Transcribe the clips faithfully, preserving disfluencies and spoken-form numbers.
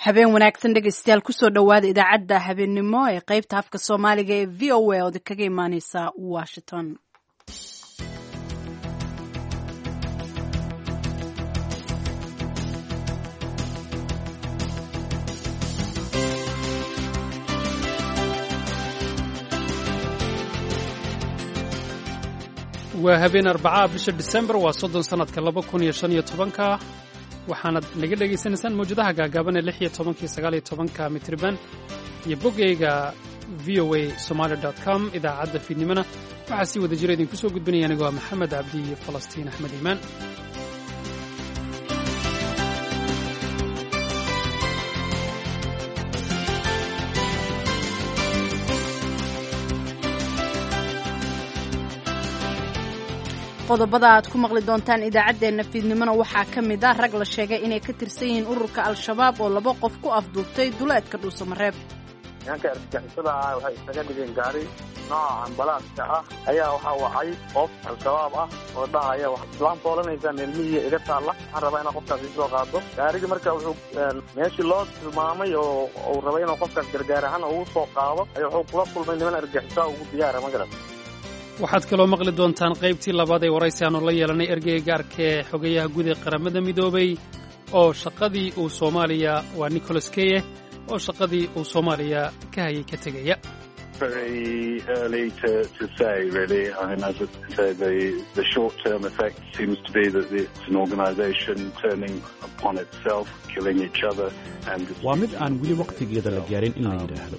Habeen wanaagsan, dhegeystayaal. Kusoo dhowaada idaacadda habeennimo ee qeybta afka Soomaaliga ee V O A oo kaga imaaneysa Washington. Waa habeen Arbacaa, bisha Disembar waa soddon, sanadka laba kun iyo shan iyo tobanka. Waxaanad naga dhegaysanaysaan mawjadaha gaagaaban ee lix iyo tobanka iyo sagaal iyo tobanka mitriban iyo boggayga V O A Somali com. Idaacadda fiidnimona waxaa si wada jira idinku soo gudbinaya anigoo ah Maxamed Cabdi iyo Falastiin Axmed Iimaan. Qodobada aad ku maqli doontaan idaacaddeenna fiidnimona waxaa ka mid ah rag la sheegay inay ka tirsan yihiin ururka Al-Shabaab oo laba qof ku afduubtay duleedka Dhuusamareeb. Nimanka argagixisada ah waxay isaga dhigeen gaari nooca ambalaaska ah ayaa waxaa wacay qof Al-Shabaab ah oo dhahaya: "Islaam foolanaysaa, meelmihiya iga taalla, waxaan rabaa inaa qofkaas iisoo qaado." Gaarigii marka wuxuu meeshii loo tilmaamay oo uu rabay inuu qofkaas gargaar ahaan ugu soo qaado ayaa wuxuu kula kulmay niman argagixisaa ugu diyaara magaran. Waxaad kaloo maqli doontaan qaybtii labaad ee waraysi aanu la yeelanay ergeyga gaarka ee xogeyaha guud ee Qaramada Midoobay oo shaqadii uu Soomaaliya, waa Nicholas Kay, oo shaqadii uu Soomaaliya ka hayay ka tegaya. Very early to, to say, really. I mean, as I say, the, the short-term effect seems to be that it's an organization turning upon itself, killing each other. And Waa mid aan weli wakhtigeeda la gaarin in la yidhaahdo.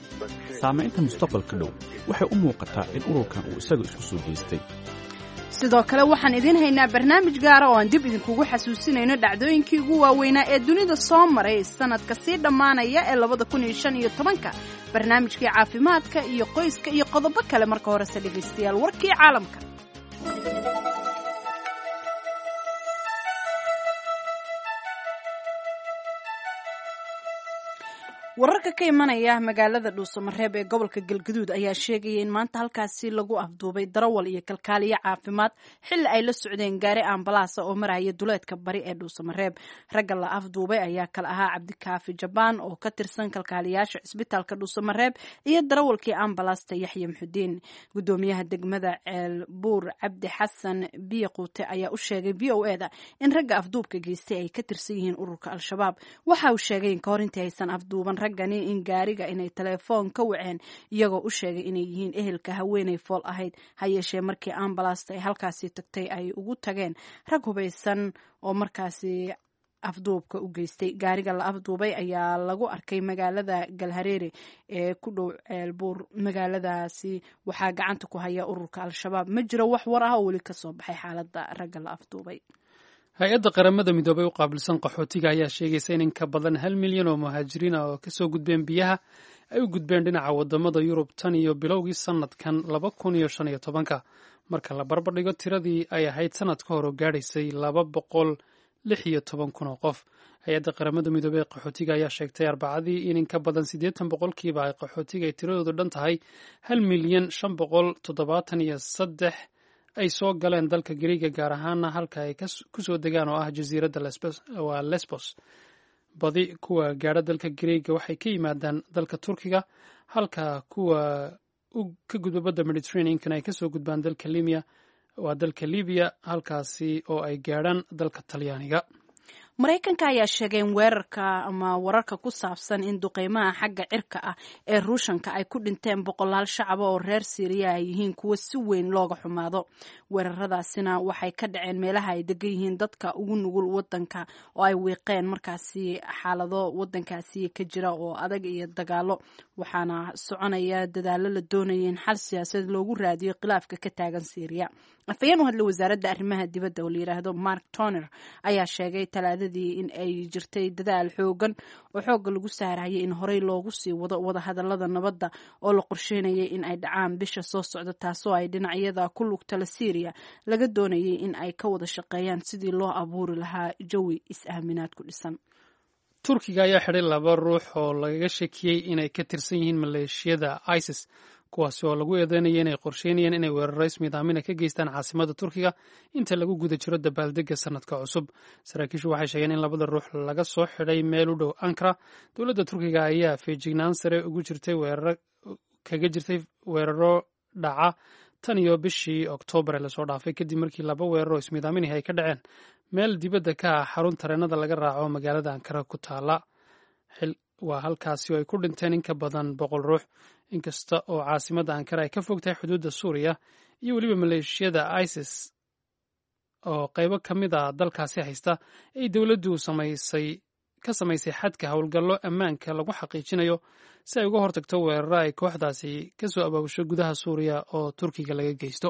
Saamaynta mustaqbalka dhow waxay u muuqataa in ururkan uu isaga isku soo jeestay. Sidoo kale waxaan idiin haynaa barnaamij gaara oo aan dib idinkugu xasuusinayno dhacdooyinkii ugu waaweynaa ee dunida soo maray sanadka sii dhammaanaya ee labada kun iyo shan iyo tobanka, barnaamijkii caafimaadka iyo qoyska iyo qodobo kale. Marka horese, dhegaystayaal, warkii caalamka. Wararka ka imanaya magaalada Dhuusamareeb ee gobolka Galgaduud ayaa sheegaya in maanta halkaasi lagu afduubay darawal iyo kalkaaliyo caafimaad xilli ay la socdeen gaari ambalaasa oo maraya duleedka bari ee Dhuusamareeb. Ragga la afduubay ayaa kala ahaa Cabdikaafi Jabaan oo ka tirsan kalkaaliyaasha cisbitaalka Dhuusamareeb iyo darawalkii ambalaasta Yaxya Muxudiin. Gudoomiyaha degmada Ceelbuur, Cabdi Xasan Biyaquute, ayaa u sheegay V O eda in ragga afduubka geystay ay ka tirsan yihiin ururka Al-Shabaab. Waxa uu sheegay in kahor intii aysan afduuban raggani in gaariga inay telefoon ka waceen, iyagoo u sheegay inay yihiin ehelka haweeney fool ahayd. Ha yeeshee, markii ambalaasta ay halkaasi tagtay ay ugu tageen rag hubaysan oo markaasi afduubka u geystay. Gaariga la afduubay ayaa lagu arkay magaalada Galhareere ee ku dhow Ceelbuur. Magaaladaasi waxaa gacanta ku haya ururka Al-Shabaab. Ma jiro wax war ah oo weli kasoo baxay xaaladda ragga la afduubay. Hay-adda Qaramada Midoobay u qaabilsan qaxootiga ayaa sheegaysa in in ka badan hal milyan oo muhaajiriin ah oo kasoo gudbeen biyaha ay u gudbeen dhinaca wadamada Yurub tan iyo bilowgii sanadkan laba kun iyo shan iyo tobanka, marka la barbardhigo tiradii ay ahayd sanad ka hor oo gaadhaysay laba boqol lix iyo toban kun oo qof. Hay-adda Qaramada Midoobey ee qaxootiga ayaa sheegtay Arbacadii in in ka badan siddeetan boqolkiiba ay qaxootiga ay tiradoodu dhan tahay hal milyan shan boqol toddobaatan iyo saddex ay soo galeen dalka Gariiga, gaar ahaana halka ay kusoo degaan oo ah jasiiradda waa Lesbos. Badi kuwa gaadha dalka Gariiga waxay ka yimaadaan dalka Turkiga, halka kuwa ka gudba badda Mediterranean-kana ay kasoo gudbaan dalka Libiya, waa dalka Libiya, halkaasi oo ay gaadhaan dalka Talyaaniga. Maraykanka ayaa sheegay in weerarka ama wararka ku saabsan in duqeymaha xagga cirka ah ee Ruushanka ay ku dhinteen boqolaal shacaba oo reer Siiriya ay yihiin kuwo si weyn looga xumaado. Weeraradaasina waxay ka dhaceen meelaha ay degan yihiin dadka ugu nugul wadanka oo ay wiiqeen markaasi xaalado wadankaasi ka jira oo adag iyo dagaalo. Waxaana soconaya dadaalo la doonaya in xal siyaasadeed loogu raadiyo khilaafka ka taagan Siiriya. Afhayeen u hadlay wasaaradda arrimaha dibadda oo la yiraahdo Mark Toner ayaa sheegay Talaadadii in ay jirtay dadaal xoogan oo xoogga lagu saarayay in horey loogu sii wado wadahadalada nabadda oo la qorsheynayay in ay dhacaan bisha soo socda, taasoo ay dhinacyada ku lugtala Siiriya laga doonayay in ay ka wada shaqeeyaan sidii loo abuuri lahaa jawi is-aaminaad ku dhisan. Turkiga ayaa xidhay laba ruux oo lagaga shakiyey inay ka tirsan yihiin maleeshiyada ISIS. Kuwaasi oo lagu eedeynaya inay qorsheynayeen inay weeraro ismiidaamina ka geystaan caasimadda Turkiga inta lagu guda jiro dabaaldegga sanadka cusub. Saraakiishu waxay sheegeen in labada ruux laga soo xidhay meel u dhow Ankara. Dowladda Turkiga ayaa feejignaan sare ugu jirtay weeraro kaga jirtay weeraro dhaca tan iyo bishii Oktoobar ee lasoo dhaafay, kadib markii laba weerar oo ismiidaaminahi ay ka dhaceen meel dibadda ka ah xarun tareenada laga raaco magaalada Ankara ku taala. Waa halkaasi oo ay ku dhinteen in ka badan boqol ruux. Inkasta oo caasimadda Ankara ay ka fog tahay xuduudda Suuriya iyo weliba maleeshiyada ISIS oo qaybo ka mid ah dalkaasi haysta, ay dowladdu samaysay ka samaysay xadka howlgallo ammaanka lagu xaqiijinayo si ay uga hortagto weeraro ay kooxdaasi ka soo abaabusho gudaha Suuriya oo Turkiga laga geysto.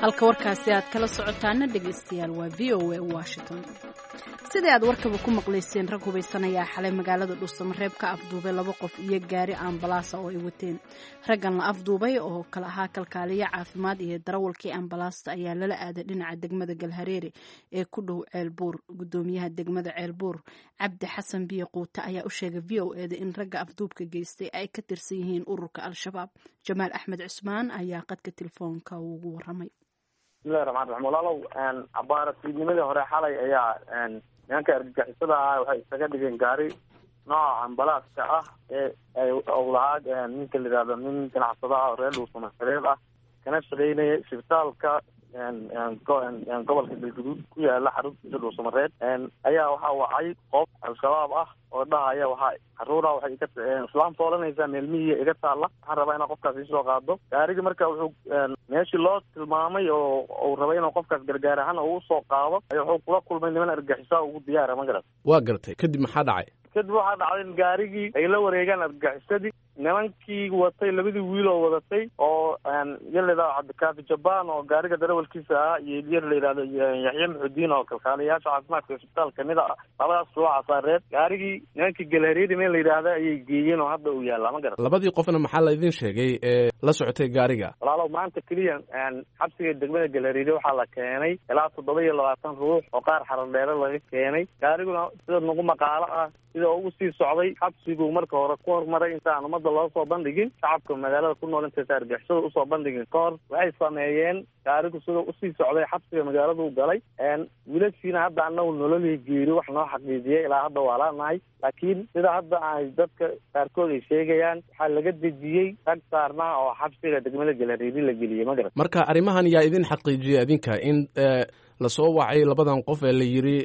Halka warkaasi aad kala socotaana, dhegaystayaal, waa V O A Washington. Sidii aad warkaba ku maqlayseen, rag hubaysan ayaa xalay magaalada Dhuusamareeb ka afduubay laba qof iyo gaari ambalaasa oo ay wateen. Raggan la afduubay oo kala ahaa kalkaaliye caafimaad iyo darawalkii ambalaasta ayaa lala aaday dhinaca degmada Galhareere ee ku dhow Ceelbuur. Gudoomiyaha degmada Ceelbuur, Cabdi Xasan Biyo Quute, ayaa u sheegay V O eda in ragga afduubka geystay ay ka tirsan yihiin ururka Al-Shabaab. Jamaal Axmed Cusmaan ayaa qadka telefoonka ugu waramay. Bismillahi raxmaan raxiim. Walaalow, abaara fiidnimadii hore xalay ayaa nimanka argagixisada ah waxay isaga dhigeen gaari nooca ambalaaska ah ee ay lahaa ninka la yidhahdo nin ganacsada ah oo reer Dhuusamareeb ah, kana shaqeynaya isbitaalka gobolka Galguduud ku yaala xaruntiisa Dhuusamareeb. Ayaa waxaa wacay qof Al-Shabaab ah oo dhahaya waxaa caruura waxay iga islaam foolanaysaa meelmihiya iga taalla, waxaan rabaa inaa qofkaas iisoo qaado. Gaarigii marka wuxuu meeshii loo tilmaamay oo uu rabay inuu qofkaas gargaar ahaan uu usoo qaado ayaa wuxuu kula kulmay niman argagixisaa ugu diyaara, ma garat? Waa gartay. Kadib maxaa dhacay? Kadib waxaa dhacday in gaarigii ay la wareegaan argagixisadii, nimankii watay, labadii wiil oo wadatay oo yar la yidhahdo Cabdikaafi Jabaan oo gaariga darawalkiisa ahaa iyo yar la yidhahdo Yaxye Muxudiin oo kalkaaliyayaasha caafimaadka isbitaal kamid a, labadaas ruuxa saareed gaarigii nimankii Galhareeri meel la yidhaahda ayay geeyeen oo hadda uu yaallaa, ma garat? Labadii qofna maxaa laydin sheegay ee la socotay gaariga? Walaalow, maanta keliya xabsiga degmada Galhareeri waxaa la keenay ilaa toddoba iyo labaatan ruux oo qaar Xaradheere laga keenay. Gaariguna sida nagu maqaalo ah sida ugu sii socday xabsigu marka hore ku hormaray intaan ummadda loo soo bandhigin, shacabka magaalada ku nool intaysa argixisada usoo bandhigin ka hor. Waxay sameeyeen, gaarigu sida usii socday xabsiga magaaladu galay. Wiilashiina hadda anagu nololii geeri wax noo xaqiijiyay ilaa hadda waa laanahay, laakiin sida hadda ay dadka qaarkood ay sheegayaan, waxaa laga dejiyey rag saarnaa oo xabsiga degmada Galhareeri la geliyey, ma garat? Marka arrimahan yaa idin xaqiijiyay adinka in lasoo wacay labadan qof ee la yidhi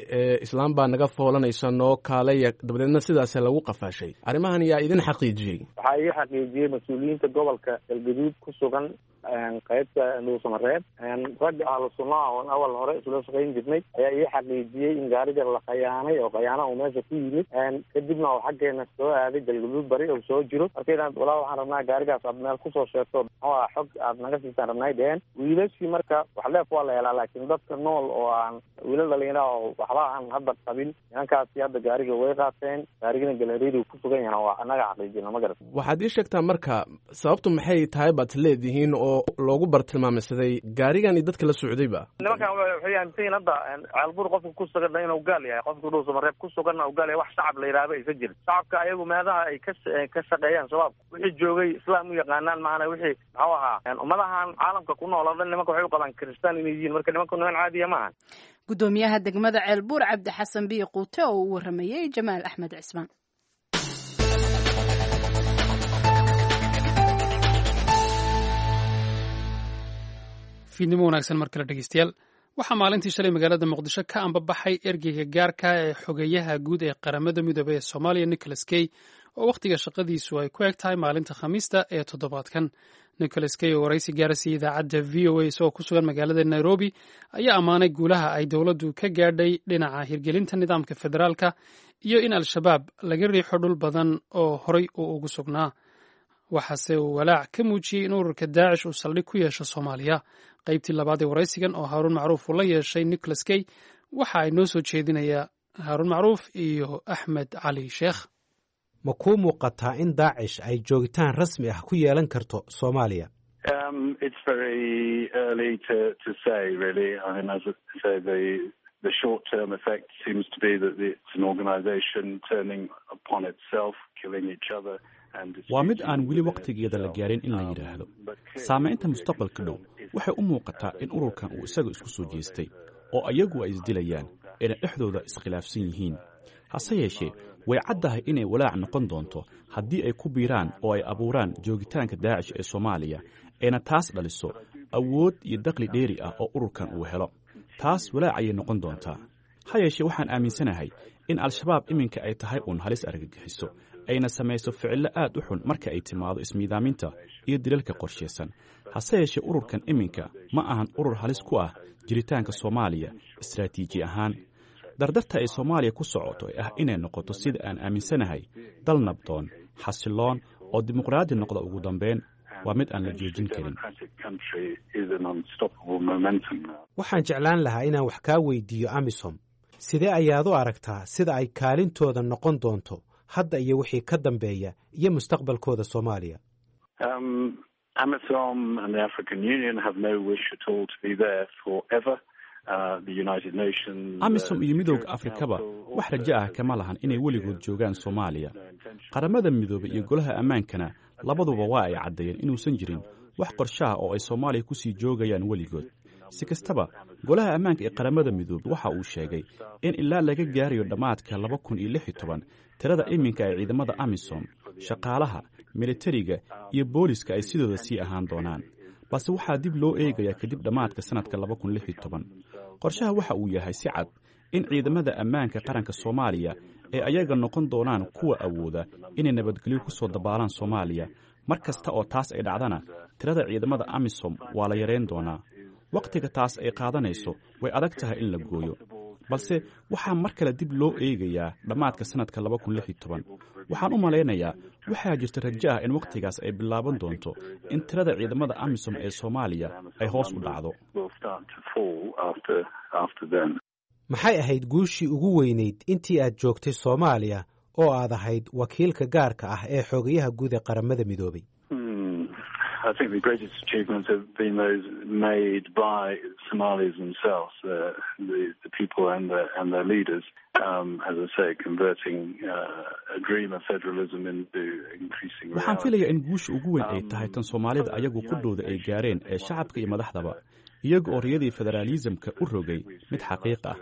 islaam baa naga foolanaysa, noo kaalaya, dabadeedna sidaas lagu qafaashay? Arrimahan yaa idin xaqiijiyey? Waxaa ii xaqiijiyey mas-uuliyiinta gobolka Galgaduud ku sugan qaybta Dhuusamareeb. Ragga ahlu sunnaha oon awal hore isula shaqayn jirnay ayaa ii xaqiijiyey in gaariga la khayaanay oo khayaana uu meesha ku yimid, kadibna uu xaggeena soo aaday Galgaduud bari uu soo jiro. Markaydaan walaa waxaan rabnaa gaarigaas aad meel kusoo sheegto, muxuu aha, xog aad naga siisaan rabnay dheheen wiilashii. Marka wax leef waa la helaa, laakiin dadka nool oo aan wiilal dhalinyara oo waxba aan hadda qabin, nimankaasi hadda gaariga way qaateen, gaarigina Galhareeri ku sugan yahana waa annaga xaqiijina, ma garat? Waxaad ii sheegtaa marka sababtu maxay tahay baad leedihiin oo loogu bartilmaameysaday gaarigan iyo dadka la socdayba? Nimankan waxay aaminsan yihin hadda Ceelbuur qofka ku suganna inuu gaal yahay, qofka Dhuusamareeb ku suganna uu gaal yahay, wax shacab la yidhaahdo aysan jirin. Shacabka ayagu meelaha ay ka ka shaqeeyaan Shabaabku wixii joogay islaam u yaqaanaan maana wixii muxuu ahaa ummadahan caalamka ku nool oo dhan nimanka waxay u qabaan kristaan inay yihiin. Marka nimanku niman caadiya maaha. Gudoomiyaha degmada Ceelbuur, Cabdi Xasan Biyo Quute, oo u waramayey Jamaal Axmed Cismaan. Fiidnimo wanaagsan mar kale, dhegeystayaal. Waxaa maalintii shalay magaalada Muqdisho ka ambabaxay ergeyga gaarka ee xogeyaha guud ee Qaramada Midoobey ee Soomaaliya, Nicholas Kay, oo wakhtiga shaqadiisu ay ku eg tahay maalinta Khamiista ee toddobaadkan. Nicholas Kay oo waraysi gaarasiiyey idaacadda V O A isagoo ku sugan magaalada Nairobi ayaa ammaanay guulaha ay dowladdu ka gaadhay dhinaca hirgelinta nidaamka federaalka iyo in Al-Shabaab laga riixo dhul badan oo horay uu ugu sugnaa. Waxaase uu walaac ka muujiyey in ururka Daacish uu saldhig ku yeesho Soomaaliya. Qaybtii labaad ee waraysigan oo Haaruun Macruuf uu la yeeshay Nicholas Kay waxa ay noo soo jeedinayaa Haaruun Macruuf iyo Axmed Cali Sheekh. Ma kuu muuqataa in Daacish ay joogitaan rasmi ah ku yeelan karto Soomaaliya? Um, it's very early to, to say, really. I mean, as I say, the the short-term effect seems to be that it's an organization turning upon itself, killing each other. Waa mid aan weli wakhtigeeda la gaarin in la yidhaahdo. Saamaynta mustaqbalka dhow waxay u muuqataa in ururkan uu isaga isku soo jeestay oo ayagu ay isdilayaan ayna dhexdooda iskhilaafsan yihiin. Hase yeeshee, way caddahay inay walaac noqon doonto haddii ay ku biiraan oo ay abuuraan joogitaanka Daacish ee Soomaaliya, ayna taas dhaliso awood iyo dakhli dheeri ah oo ururkan uu helo. Taas walaac ayay noqon doontaa. Ha yeeshee, waxaan aaminsanahay in Al-Shabaab iminka ay tahay uun halis argagixiso, ayna samayso ficillo aad u xun marka ay timaado ismiidaaminta iyo dilalka qorshaysan. Hase yeeshee, ururkan iminka ma ahan urur halis ku ah jiritaanka Soomaaliya istaraatiiji ahaan. Dardarta ay Soomaaliya ku socoto ee ah inay noqoto, sida aan aaminsanahay, dal nabdoon, xasiloon oo dimuqraadi noqda ugu dambeyn, waa mid aan la joojin karin. Waxaan jeclaan lahaa inaan wax kaa weydiiyo AMISOM. Sidee ayaad u aragtaa sida ay kaalintooda noqon doonto hadda iyo wixii ka dambeeya iyo mustaqbalkooda Soomaaliya? AMISOM and the African Union have no wish at all to be there forever. AMISOM iyo Midowda Afrikaba wax rajo ah kama lahan inay weligood joogaan Soomaaliya. Qaramada Midoobay iyo Golaha Ammaankana labaduba waa ay caddeeyeen inuusan jirin wax qorshaha oo ay Soomaaliya ku sii joogayaan weligood. Si kastaba, Golaha Ammaanka ee Qaramada Midoobey waxa uu sheegay in ilaa laga gaarayo dhammaadka laba kun iyo lix iyo toban tirada iminka ay ciidamada AMISOM, shaqaalaha militariga iyo booliska ay sidooda sii ahaan doonaan, balse waxaa dib loo eegayaa kadib dhammaadka sannadka laba kun lix iyo toban. Qorshaha waxa uu yahay si cad in ciidamada ammaanka qaranka Soomaaliya ay ayaga noqon doonaan kuwa awooda inay nabadgelyo ku soo dabaalaan Soomaaliya. Mar kasta oo taas ay dhacdana, tirada ciidamada AMISOM waa la yarayn doonaa. Wakhtiga taas ay qaadanayso way adag tahay in la gooyo, balse waxaa mar kale dib loo eegayaa dhammaadka sannadka laba kun lix iyo toban. Waxaan u malaynayaa waxaa jirta rajo ah in wakhtigaas ay bilaaban doonto in tirada ciidamada AMISOM ee Soomaaliya ay hoos u dhacdo. Maxay ahayd guushii ugu weynayd intii aad joogtay Soomaaliya oo aad ahayd wakiilka gaarka ah ee xogayaha guud ee Qaramada Midoobay? I think the greatest achievements have been those made by Somalis themselves, uh, the, the people and, the, and their leaders, um, as I say, converting uh, a dream of federalism into increasing Waxaan filayaa in guusha ugu weyn ay tahay tan Soomaalida ayagu qudhooda ay gaareen ee shacabka iyo madaxdaba, iyaga oo riyadii federaalisamka u rogay mid xaqiiq ah.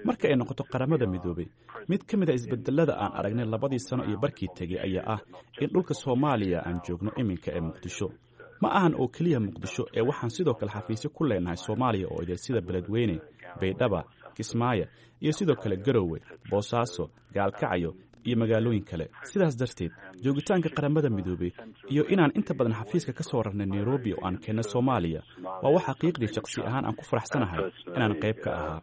Marka ay noqoto Qaramada Midoobay, mid ka mid a isbedelada aan aragnay labadii sano iyo barkii tegey ayaa ah in dhulka Soomaaliya aan joogno iminka ee Muqdisho ma ahan oo keliya Muqdisho, ee waxaan sidoo kale xafiisyo ku leenahay Soomaaliya oo idil, sida Beledweyne, Baydhaba, Kismaayo iyo sidoo kale Garowe, Boosaaso, Gaalkacyo iyo magaalooyin kale. Sidaas darteed, joogitaanka Qaramada Midoobey iyo inaan inta badan xafiiska ka soo rarnay Nairobi oo aan keenna Soomaaliya waa wax xaqiiqdii shaqsi ahaan aan ku faraxsanahay inaan qayb ka ahaa.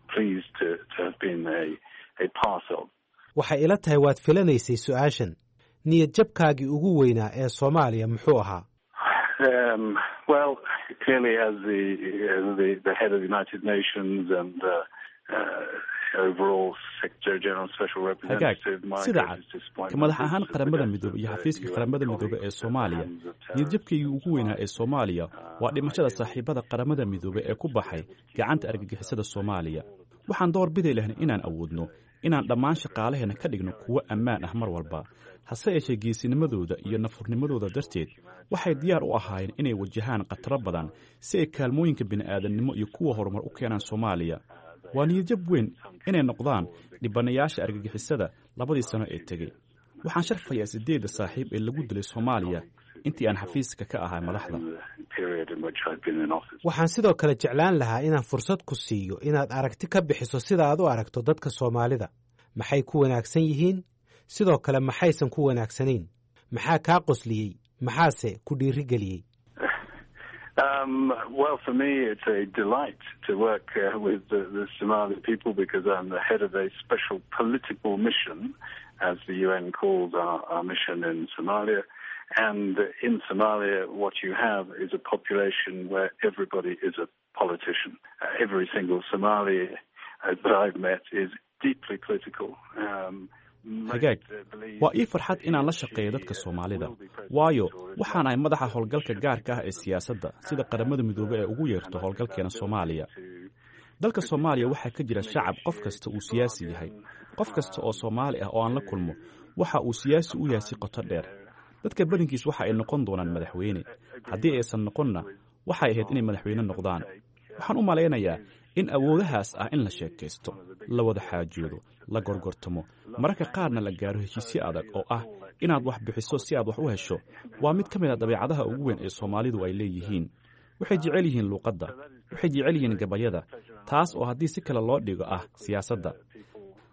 Waxay ila tahay waad filanaysay su-aashan. Niyad jabkaagii ugu weynaa ee Soomaaliya muxuu ahaa? Um, well, clearly, as the, the the head of the United Nations and uh, uh, overall Secretary General Special Hagaag. Representative, my Sida cad, greatest disappointment ka madax ahaan is the Qaramada death Midoobey of iyo the xafiiska U N Qaramada Midoobey ee colleagues at the Soomaaliya, hands of terrorists. niyadjabkaygii ugu weynaa ee Soomaaliya waa dhimashada saaxiibada Qaramada Midoobey ee ku baxay gacanta argagixisada Soomaaliya. Waxaan door bidi lahnay inaan awoodno inaan dhammaan shaqaalaheenna ka dhigno kuwo ammaan ah mar walba. Hase yeeshee, geesinimadooda iyo nafurnimadooda darteed waxay diyaar u ahaayeen inay wajahaan khataro badan si ay kaalmooyinka bini'aadamnimo iyo kuwa horumar u keenaan Soomaaliya. Waa niyadjab weyn inay noqdaan dhibanayaasha argagixisada labadii sano ee tegey. Waxaan sharfayaa siddeedda saaxiib ee lagu dilay Soomaaliya intii aan xafiiska ka ahaa madaxda. In the period in which I've been in office. Waxaan sidoo kale jeclaan lahaa inaan fursad ku siiyo inaad aragti ka bixiso sida aad u aragto dadka Soomaalida. Maxay ku wanaagsan yihiin? Sidoo kale, maxaysan ku wanaagsanayn? Maxaa kaa qosliyey? Maxaase ku dhiirigeliyey? Um, well, for me, it's a delight to work uh, with the, the Somali people because I'm the head of a special political mission, as the U N calls our, our mission in Somalia. And in Somalia, what you have is a population where everybody is a politician. Uh, every single Somali uh, that I've met is deeply political. Um, Hagaag, waa ii farxad inaan la shaqeeyo dadka Soomaalida, waayo waxaan ahay madaxa howlgalka gaarka ah ee siyaasadda, sida Qaramada Midoobey ee ugu yeerto howlgalkeena Soomaaliya. Dalka Soomaaliya waxaa ka jira shacab qof kasta uu siyaasi yahay. Qof kasta oo Soomaali ah oo aan la kulmo waxa uu siyaasi u yahay si qoto dheer. Dadka badankiis waxa ay noqon doonaan madaxweyne, haddii aysan noqonna waxay ahayd inay madaxweyne noqdaan. Waxaan u malaynayaa in awoodahaas ah in la sheekaysto, la wada xaajoodo, la gorgortamo, mararka qaarna la gaaro heshiisyo adag oo ah inaad wax bixiso si aad wax u hesho, waa mid ka mid a dabeecadaha ugu weyn ee Soomaalidu ay leeyihiin. Waxay jecel yihiin luuqadda, waxay jecel yihiin gabayada, taas oo haddii si kale loo dhigo ah siyaasadda.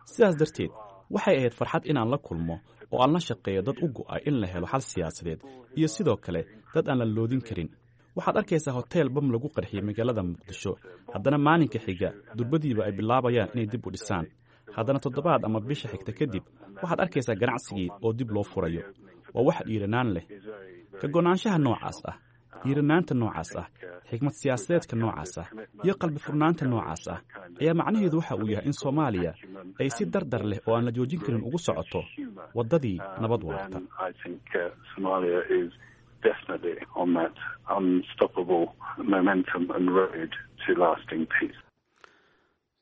Sidaas darteed waxay ahayd farxad inaan la kulmo oo aan la shaqeeyo dad u go'ay in la helo xal siyaasadeed iyo sidoo kale dad aan la loodin karin. Waxaad arkaysaa hoteel bam lagu qarxiyey magaalada Muqdisho, haddana maalinka xiga durbadiiba ay bilaabayaan inay dib u dhisaan. Haddana toddobaad ama bisha xigta kadib waxaad arkaysaa ganacsigii oo dib loo furayo. Waa wax dhiiranaan leh. Ka go'naanshaha noocaas ah, dhiiranaanta noocaas ah, xikmad siyaasadeedka noocaas ah iyo qalbi furnaanta noocaas ah ayaa macnaheedu waxa uu yahay in Soomaaliya ay si dardar leh oo aan la joojin karin ugu socoto waddadii nabad waarta.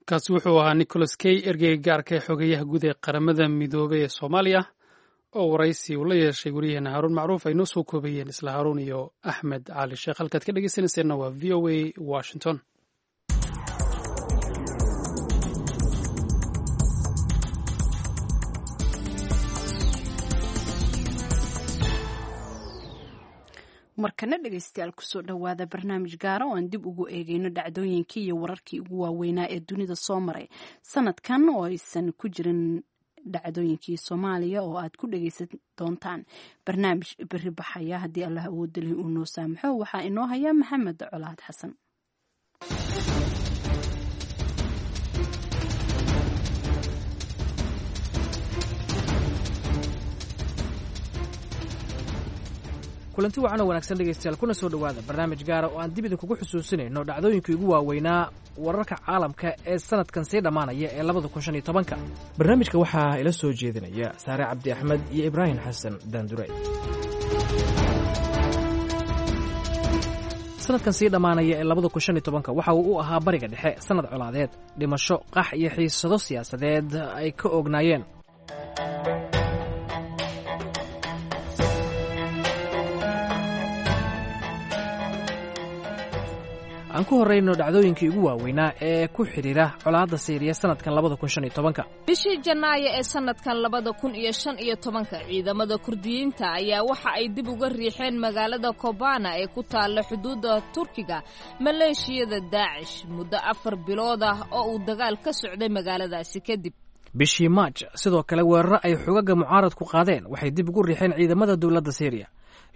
Kaasi wuxuu ahaa Nicholas Kay, ergeyga gaarka ee xogeyaha guud ee Qaramada Midoobey ee Soomaaliya, oo waraysi uu la yeeshay wariyaheena Haaruun Macruuf ay noo soo koobayeen isla Haaruun iyo Axmed Cali Sheekh. Halkaad ka dhegeysanayseena waa V O A Washington. Markana dhegeystayaal, kusoo dhowaada barnaamij gaara oo aan dib ugu eegeyno dhacdooyinkii iyo wararkii ugu waaweynaa ee dunida soo maray sanadkan oo aysan ku jirin dhacdooyinkii Soomaaliya, oo aad ku dhegeysan doontaan barnaamij beri baxaya haddii Allah awoodda leh uu noo saamaxo. Waxaa inoo haya Maxamed Colaad Xasan. Kulanti wacan oo wanaagsan dhegaystayaal, kuna soo dhowaada barnaamij gaara oo aan dib idinkugu xusuusinayno dhacdooyinkii ugu waaweynaa wararka caalamka ee sanadkan sii dhammaanaya ee labada kun shan iyo tobanka. Barnaamijka waxaa ila soo jeedinaya Saare Cabdi Axmed iyo Ibraahim Xasan Daandure. Sanadkan sii dhammaanaya ee labada kun shan iyo tobanka waxa uu u ahaa Bariga Dhexe sanad colaadeed, dhimasho, qax iyo xiisado siyaasadeed ay ka oognaayeen. Aan ku horrayno dhacdooyinkii ugu waaweynaa ee ku xidhiira colaadda Siiriya sanadkan labada kun shan iyo tobanka. Bishii Janaayo ee sanadkan labada kun iyo shan iyo tobanka ciidamada Kurdiyiinta ayaa waxa ay dib uga riixeen magaalada Kobana ee ku taalla xuduudda Turkiga maleeshiyada Daacish muddo afar bilood ah oo uu dagaal ka socday magaaladaasi kadib. Bishii Maaj sidoo kale weeraro ay xogaga mucaaradku qaadeen waxay dib ugu riixeen ciidamada dowladda Siiriya.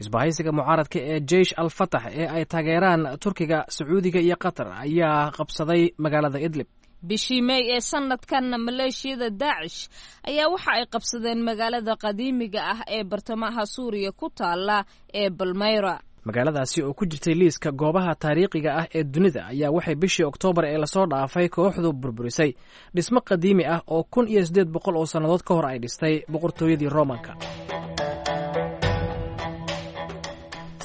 Isbahaysiga mucaaradka ee Jeish al Fatax ee ay taageeraan Turkiga, Sacuudiga iyo Qatar ayaa qabsaday magaalada Idlib. Bishii Mey ee sanadkanna maleeshiyada Daacish ayaa waxa ay qabsadeen magaalada qadiimiga ah ee bartamaha Suuriya ku taalla ee Balmeyra. Magaaladaasi oo ku jirtay liiska goobaha taariikhiga ah ee dunida ayaa waxay bishii Oktoobar ee lasoo dhaafay kooxdu burburisay dhismo qadiimi ah oo kun iyo siddeed boqol oo sannadood ka hor ay dhistay boqortooyadii Roomanka.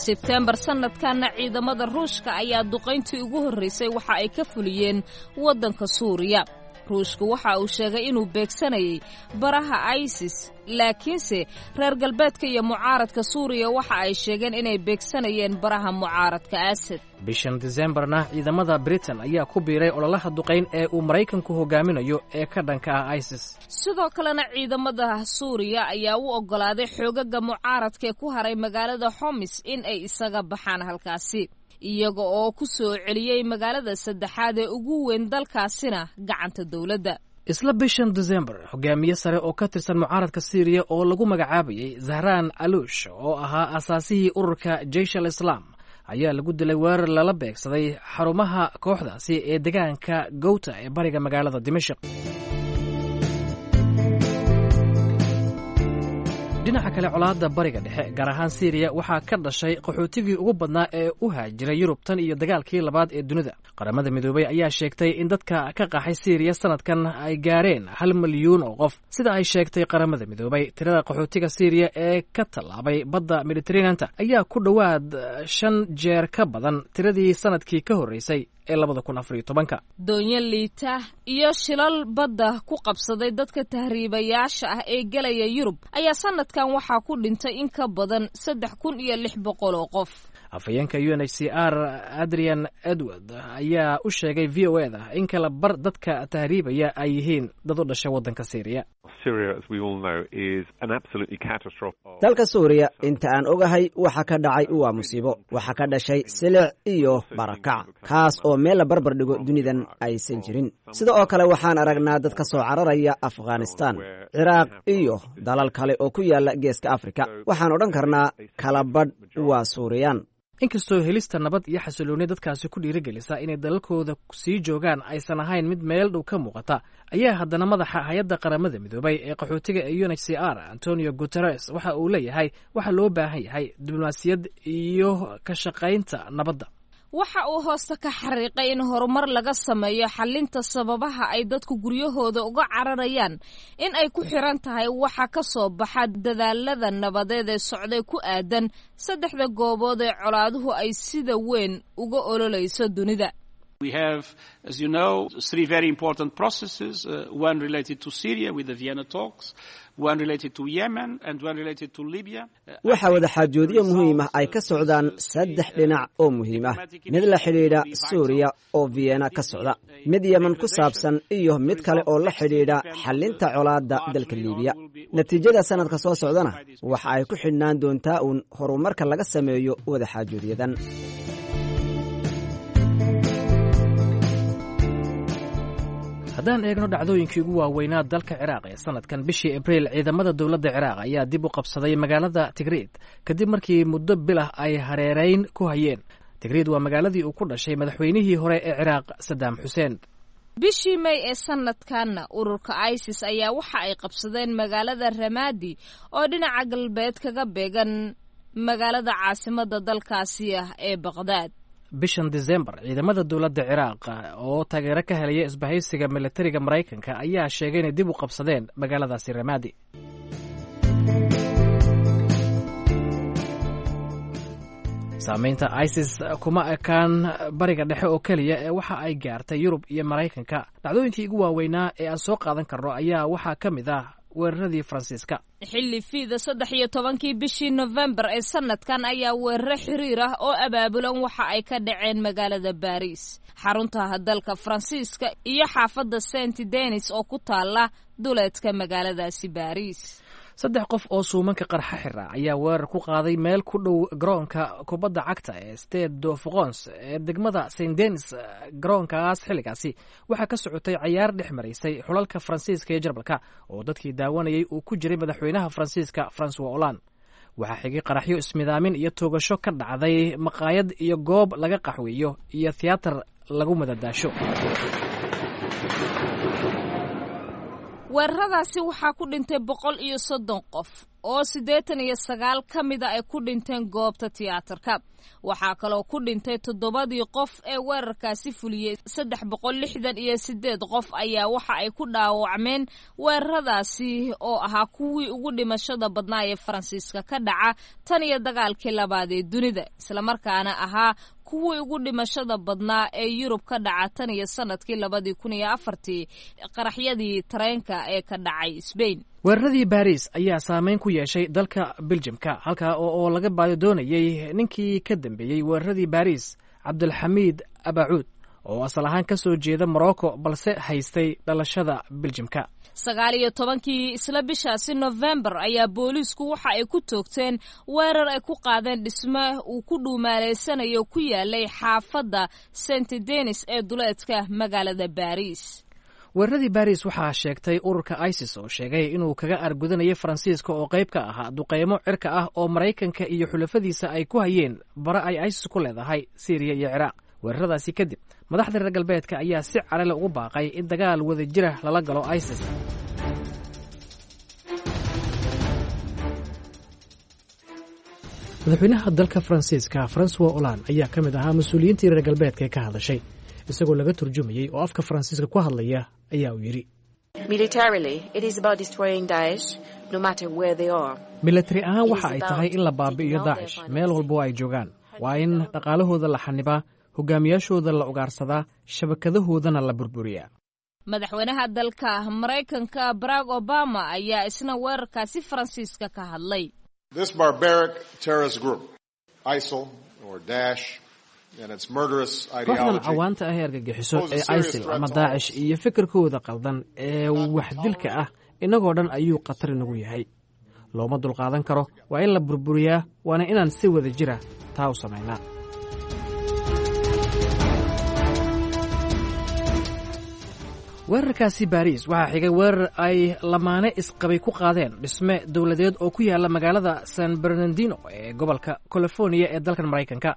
Sebteembar sanadkanna ciidamada Ruushka ayaa duqayntii ugu horraysay waxa ay ka fuliyeen waddanka Suuriya. Ruushka waxa uu sheegay inuu beegsanayay baraha ISIS, laakiinse reer galbeedka iyo mucaaradka Suuriya waxa ay sheegeen inay beegsanayeen baraha mucaaradka Asad. Bishan Disembarna ciidamada Britain ayaa ku biiray ololaha duqayn ee uu Maraykanku hogaaminayo ee ka dhanka ah ISIS. Sidoo kalena ciidamada Suuriya ayaa u oggolaaday xoogaga mucaaradka ee ku haray magaalada Xomis in ay isaga baxaan halkaasi, iyaga oo ku soo celiyey magaalada saddexaad ee ugu weyn dalkaasina gacanta dowladda. Isla bishan Disembar hogaamiye sare oo ka tirsan mucaaradka Siiriya oo lagu magacaabayay Zahraan Aluush oo ahaa asaasihii ururka Jeish al Islaam ayaa lagu dilay weerar lala beegsaday xarumaha kooxdaasi ee deegaanka Gowta ee bariga magaalada Dimashq. Dhinaca kale, colaadda Bariga Dhexe, gaar ahaan Siiriya, waxaa ka dhashay qaxootigii ugu badnaa ee u haajiray Yurub tan iyo dagaalkii labaad ee dunida. Qaramada Midoobay ayaa sheegtay in dadka ka qaxay Siiriya sanadkan ay gaareen hal milyuun oo qof. Sida ay sheegtay Qaramada Midoobay, tirada qaxootiga Siiriya ee ka tallaabay badda Mediteraneanta ayaa ku dhowaad shan jeer ka badan tiradii sanadkii ka horreysay ee labada kun afariyo tobanka. Doonyo liita iyo shilal badda ku qabsaday dadka tahriibayaasha ah ee gelaya Yurub ayaa sanadkan waxaa ku dhintay in ka badan saddex kun iyo lix boqol oo qof. Afhayeenka U N H C R, Adrian Edward, ayaa u sheegay V O A da in kala bar dadka tahriibaya ay yihiin dad u dhashay waddanka Syriya. Dalka Suuriya, inta aan ogahay, waxa ka dhacay waa musiibo. Waxa ka dhashay silic iyo barakac, kaas oo meel la barbar dhigo dunidan aysan jirin. Sida oo kale waxaan aragnaa dad ka soo cararaya Afghanistan, Ciraaq iyo dalal kale oo ku yaala Geeska Afrika. Waxaan odhan karnaa kala badh waa Suuriyaan. Inkastoo helista nabad iyo xasilooni dadkaasi ku dhiirigelisa inay dalalkooda sii joogaan aysan ahayn mid meel dhow ka muuqata, ayaa haddana madaxa hay-adda Qaramada Midoobay ee qaxootiga ee U N H C R, Antonio Guterres, waxa uu leeyahay waxaa loo baahan yahay diblomaasiyad iyo ka shaqaynta nabadda. Waxa uu hoosta ka xariiqay in horumar laga sameeyo xalinta sababaha ay dadku guryahooda uga cararayaan in ay ku xiran tahay waxa ka soo baxa dadaalada nabadeed ee socday ku aadan saddexda goobood ee colaaduhu ay sida weyn uga ololeyso dunida. We have, as you know, three very important processes, uh, one related to Syria with the Vienna talks, one related to Yemen, and one related to Libya. Waxaa wadaxaajoodyo muhiim ah ay ka socdaan saddex dhinac oo muhiim ah: mid la xidhiidha Suuriya oo Vienna ka socda, mid Yemen ku saabsan iyo mid kale oo la xidhiidha xallinta colaadda dalka Liibiya. Natiijada sannadka soo socdana waxa ay ku xidhnaan doontaa uun horumarka laga sameeyo wadaxaajoodyadan. Haddaan eegno dhacdooyinkii ugu waaweynaa dalka Ciraaq ee sanadkan, bishii Abriil ciidamada dowladda Ciraaq ayaa dib u qabsaday magaalada Tigriid kadib markii muddo bilah ay hareereyn ku hayeen. Tigriid waa magaaladii uu ku dhashay madaxweynihii hore ee Ciraaq, Sadaam Xuseen. Bishii May ee sanadkanna ururka ISIS ayaa waxa ay qabsadeen magaalada Ramadi oo dhinaca galbeed kaga beegan magaalada caasimada dalkaasi ah ee Baqdaad. Bishan Disembar ciidamada dowladda Ciraaq oo taageero ka helaya isbahaysiga militariga Maraykanka ayaa sheegay inay dib u qabsadeen magaaladaasi Ramadi. Saameynta ISIS kuma ekaan Bariga Dhexe oo keliya ee waxa ay gaartay Yurub iyo Maraykanka. Dhacdooyinkii ugu waaweynaa ee aan soo qaadan karno ayaa waxaa ka mid ah weeraradii Faransiiska. Xilli fiida saddex iyo tobankii bishii Nofembar ee sanadkan ayaa weeraro xiriir ah oo abaabulan waxa ay ka dhaceen magaalada Baariis, xarunta dalka Faransiiska, iyo xaafadda Saint Denis oo ku taala duleedka magaaladaasi Baariis. Saddex qof oo suumanka qarxa xira ayaa weerar ku qaaday meel ku dhow garoonka kubadda cagta ee Stade de France ee degmada Saint Denis. Garoonkaas xilligaasi waxaa ka socotay cayaar dhex maraysay xulalka Faransiiska iyo Jarmalka oo dadkii daawanayay uu ku jiray madaxweynaha Faransiiska, Francois Hollande. Waxaa xigay qaraxyo ismidaamin iyo toogasho ka dhacday maqaayad iyo goob laga qaxweeyo iyo thiyaatar lagu madadaasho. Weeraradaasi waxaa ku dhintay boqol iyo soddon qof oo siddeetan iyo sagaal ka mida ay ku dhinteen goobta tiyaatarka. Waxaa kaloo ku dhintay toddobadii qof ee weerarkaasi fuliyey. Saddex boqol lixdan iyo siddeed qof ayaa waxa ay ku dhaawacmeen weeraradaasi oo ahaa kuwii ugu dhimashada badnaa ee Faransiiska ka dhaca tan iyo dagaalkii labaad ee dunida, islamarkaana ahaa kuwii ugu dhimashada badnaa ee Yurub ka dhaca tan iyo sanadkii labadii kun iyo afartii qaraxyadii tareenka ee ka dhacay Sbain. Weeraradii Baris ayaa saameyn ku yeeshay dalka Beljimka, halkaa oo laga baadi doonayay ninkii ka dambeeyey weeraradii Baris, Cabdulxamiid Abacuud, oo asal ahaan ka soo jeeda Morocco balse haystay dhalashada Beljimka. Sagaal iyo tobankii isla bishaasi Nofembar ayaa booliisku waxa ay ku toogteen weerar ay ku qaadeen dhisme uu ku dhuumaaleysanayo ku yaalay xaafadda Saint Denis ee duleedka magaalada Baris. Weeraradii Baris waxaa sheegtay ururka ISIS oo sheegay inuu kaga argudanayay Faransiiska oo qayb ka ahaa duqeymo cirka ah oo Maraykanka iyo xulafadiisa ay ku hayeen bare ay ISIS ku leedahay Siiriya iyo Ciraaq. Weeraradaasi kadib madaxda reer galbeedka ayaa si carale ugu baaqay in dagaal wadajira lala galo ISIS. Madaxweynaha dalka Faransiiska Francois Hollande ayaa ka mid ahaa mas-uuliyiintii reer galbeedka ee ka hadashay. Isagoo laga turjumayey oo afka Faransiiska ku hadlaya ayaa uu yidhi: Milatari ahaan waxa ay tahay in la baabi'iyo Daacish meel walba oo ay joogaan. Waa in dhaqaalahooda la xanibaa, hogaamiyaashooda la ugaarsadaa, shabakadahoodana la burburiyaa. Madaxweynaha dalka Maraykanka Barack Obama ayaa isna weerarkaasi Faransiiska ka hadlay. This barbaric terrorist group, ISIL or Daesh, and its murderous Kooxdan ideology cawaanta ah ee argagixiso ee ISIL ama Daacish iyo fikirkooda qaldan ee waxdilka ah innagoo dhan ayuu khatar inagu yahay. Looma dulqaadan karo. Waa in la burburiyaa, waana inaan si wada jira taa u samaynaa. Weerarkaasi Baariis waxaa xigay weerar ay lamaane isqabay ku qaadeen dhisme dowladeed oo ku yaala magaalada San Bernardino ee gobolka Californiya ee dalkan Maraykanka.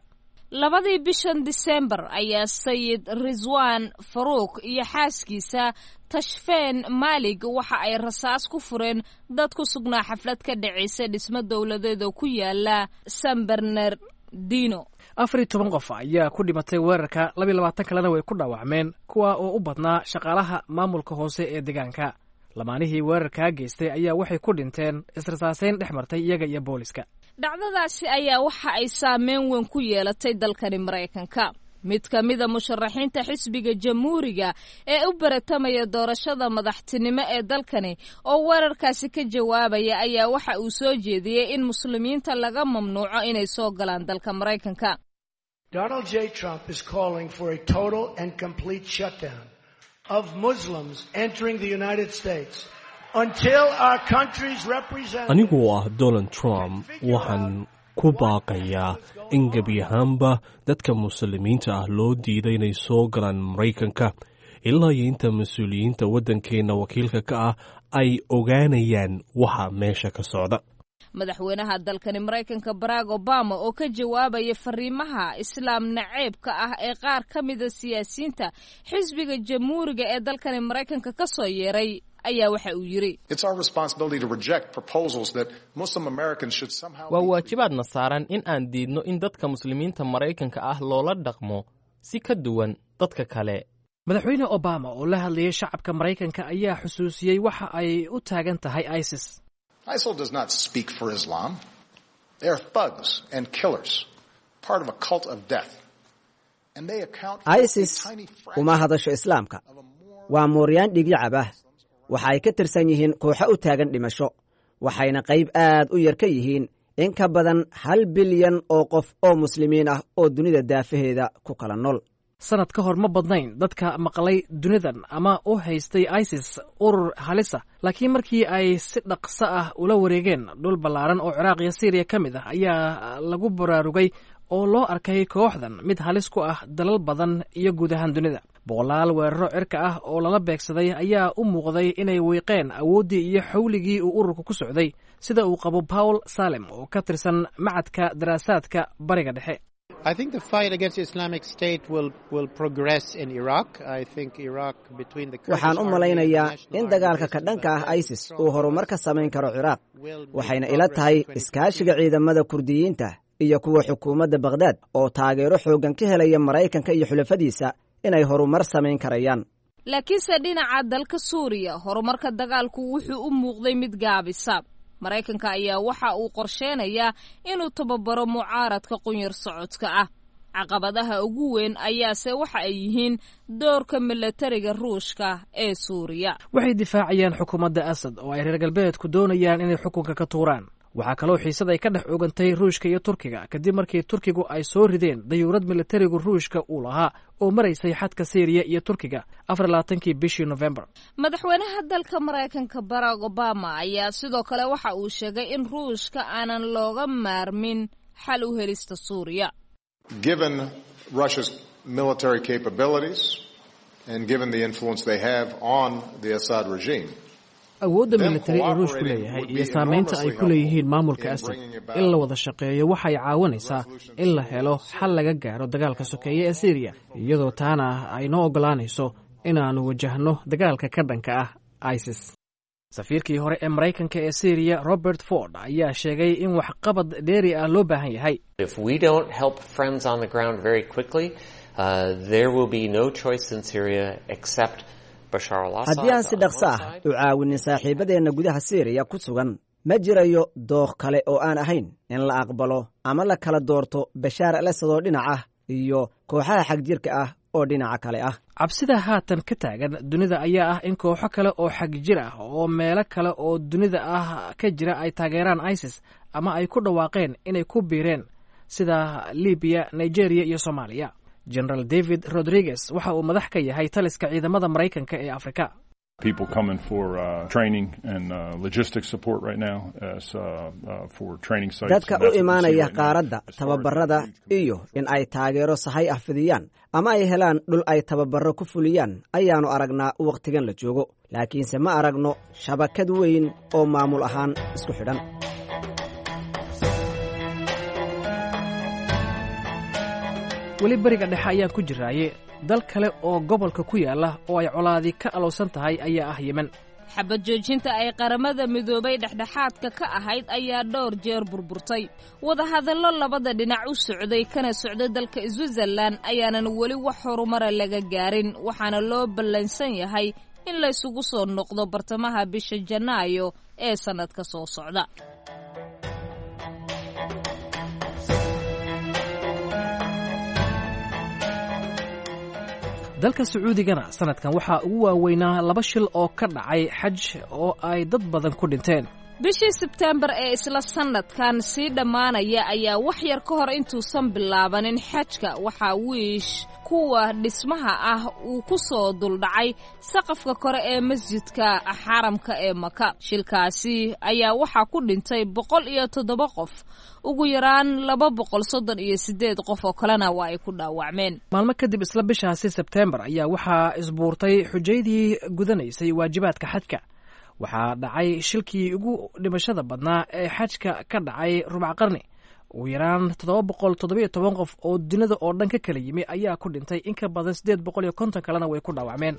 Labadii bishan Disembar ayaa Sayid Rizwaan Faruuk iyo xaaskiisa Tashfeen Maalig waxa ay rasaas ku fureen dad ku sugnaa xaflad ka dhacaysa dhismo dowladeed oo ku yaala San Bernardino. Afar iyo toban qof ayaa ku dhimatay weerarka, labiyo labaatan kalena way ku dhaawacmeen, kuwa oo u badnaa shaqaalaha maamulka hoose ee deegaanka. Lamaanihii weerarkaa geystay ayaa waxay ku dhinteen israsaaseyn dhex martay iyaga iyo booliska. Dhacdadaasi ayaa waxa ay saameyn weyn ku yeelatay dalkani Maraykanka. Mid ka mida musharaxiinta xisbiga Jamhuuriga ee u baratamaya doorashada madaxtinimo ee dalkani oo weerarkaasi ka jawaabaya ayaa waxa uu soo jeediyey in Muslimiinta laga mamnuuco inay soo galaan dalka Maraykanka. Donald J. Trump is calling for a total and complete shutdown of Muslims entering the United States until our country's representatives Anigu oo ah Donald Trump, waxaan ku baaqayaa in gebi ahaanba dadka Muslimiinta ah loo diiday inay soo galaan Maraykanka ilaa iyo inta mas-uuliyiinta waddankeenna wakiilka ka ah ay ogaanayaan waxa meesha ka socda. Madaxweynaha dalkani Maraykanka Barack Obama oo ka jawaabaya fariimaha Islaam naceebka ah ee qaar ka mida siyaasiyiinta xisbiga Jamhuuriga ee dalkani Maraykanka ka soo yeeray ayaa waxa uu yidhi: Waa waajibaadna saaran in aan diidno in dadka Muslimiinta Maraykanka ah loola dhaqmo si ka duwan dadka kale. Madaxweyne Obama oo la hadlayay shacabka Maraykanka ayaa xusuusiyey waxa ay u taagan tahay ISIS. ISIL does not speak for Islam. They are thugs and killers, part of a cult of death. And they account for ISIS uma hadasho Islaamka. Waa mooryaan dhigyacab ah. Waxa ay ka tirsan yihiin kooxo u taagan dhimasho, waxayna qayb aad u yar ka yihiin in ka badan hal bilyan oo qof oo Muslimiin ah oo dunida daafaheeda ku kala nool. Sanad ka hor ma badnayn dadka maqlay dunidan ama u haystay ISIS urur halisa, laakiin markii ay si dhaqso ah ula wareegeen dhul ballaaran oo Ciraaq iyo Siiriya ka mid ah ayaa lagu baraarugay oo loo arkay kooxdan mid halis ku ah dalal badan iyo guud ahaan dunida. Boqolaal weeraro cirka ah oo lala beegsaday ayaa u muuqday inay wiiqeen awooddii iyo xawligii uu ururka ku socday, sida uu qabo Paul Salem oo ka tirsan Macadka Daraasaadka Bariga Dhexe. I think the fight against Islamic State will, will progress in Iraq. I think Iraq between the Waxaan u malaynayaa in dagaalka ka dhanka ah ISIS uu horumar ka samayn karo Ciraaq, waxayna ila tahay iskaashiga ciidamada Kurdiyiinta iyo kuwa xukuumadda Bakhdad oo taageero xooggan ka helaya Maraykanka iyo xulafadiisa inay horumar samayn karayaan. Laakiinse dhinaca dalka Suuriya horumarka dagaalku wuxuu u muuqday mid gaabisa. Maraykanka ayaa waxa uu qorsheynayaa inuu tababaro mucaaradka qunyar socodka ah. Caqabadaha ugu weyn ayaase waxa ay yihiin doorka milatariga Ruushka ee Suuriya. Waxay difaacayaan xukuumadda Asad oo ay reer galbeedku doonayaan inay xukunka ka tuuraan. Waxaa kaloo xiisad ay ka dhex oogantay Ruushka iyo Turkiga kadib markii Turkigu ay soo rideen dayuurad milatarigu Ruushka uu lahaa oo maraysay xadka Siiriya iyo Turkiga afar labaatankii bishii Nofembar. Madaxweynaha dalka Maraykanka Barack Obama ayaa sidoo kale waxa uu sheegay in Ruushka aanan looga maarmin xal u helista Suuriya. Given Russia's military capabilities and given the influence they have on the Assad regime, Awoodda militari ee Ruushku leeyahay iyo saamaynta ay ku leeyihiin maamulka Asad, in la wada shaqeeyo waxay caawinaysaa in la helo xal laga gaaro dagaalka sokeeye ee Siiriya, iyadoo taana ay noo oggolaanayso inaannu wajahno dagaalka ka dhanka ah ISIS. Safiirkii hore ee Maraykanka ee Syriya, Robert Ford, ayaa sheegay in waxqabad dheeri ah loo baahan yahay. If we don't help friends on the ground very quickly, uh, there will be no choice in Syria except Bashar al-Assad. Haddii aan si dhaqso ah u caawinin saaxiibadeenna gudaha Siiriya ku sugan, ma jirayo dooq kale oo aan ahayn in la aqbalo ama la kala doorto Bashaar al Asad oo dhinac ah iyo kooxaha xagjirka ah oo dhinaca kale ah. Cabsida haatan ka taagan dunida ayaa ah in kooxo kale oo xagjir ah oo meelo kale oo dunida ah ka jira ay taageeraan ISIS ama ay ku dhawaaqeen inay ku biireen, sida Libiya, Nigeria iyo Soomaaliya. General David Rodriguez waxa uu madax ka yahay taliska ciidamada Maraykanka ee Afrika. People coming for uh, training and uh, logistic support right now as, uh, uh, for training sites. Dadka u imaanaya qaaradda tababarada iyo in ay taageero sahay ah fidiyaan ama ay helaan dhul ay tababarro ku fuliyaan ayaannu aragnaa wakhtigan la joogo, laakiinse ma aragno shabakad weyn oo maamul ahaan isku xidhan. Weli Bariga Dhexe ayaan ku jiraaye, dal kale oo gobolka ku yaala oo ay colaadi ka alowsan tahay ayaa ah Yemen. Xabad joojinta ay Qaramada Midoobay dhexdhexaadka ka ahayd ayaa dhowr jeer burburtay. Wadahadallo labada dhinac u socday kana socday dalka Switzerland ayaanan weli wax horumara laga gaarin, waxaana loo ballansan yahay in laysugu soo noqdo bartamaha bisha Janaayo ee sannadka soo socda. Dalka Sacuudigana sanadkan waxaa ugu waaweynaa laba shil oo ka dhacay xaj oo ay dad badan ku dhinteen. Bishii Sebteembar ee isla sannadkan sii dhammaanaya ayaa wax yar ka hor intuusan bilaabanin xajka waxaa wiish kuwa dhismaha ah uu ku soo duldhacay saqafka kore ee masjidka xaramka ee Maka. Shilkaasi ayaa waxaa ku dhintay boqol iyo toddoba qof, ugu yaraan laba boqol soddon iyo siddeed qof oo kalena waa ay ku dhaawacmeen. Maalmo kadib isla bishaasi Sebteembar ayaa waxaa isbuurtay xujaydii gudanaysay waajibaadka xajka. Waxaa dhacay shilkii ugu dhimashada badnaa ee xajka ka dhacay rubac qarni. Ugu yaraan toddoba boqol toddobiyo toban qof oo dunida oo dhan ka kala yimi ayaa ku dhintay, in ka badan siddeed boqol iyo konton kalena way ku dhaawacmeen.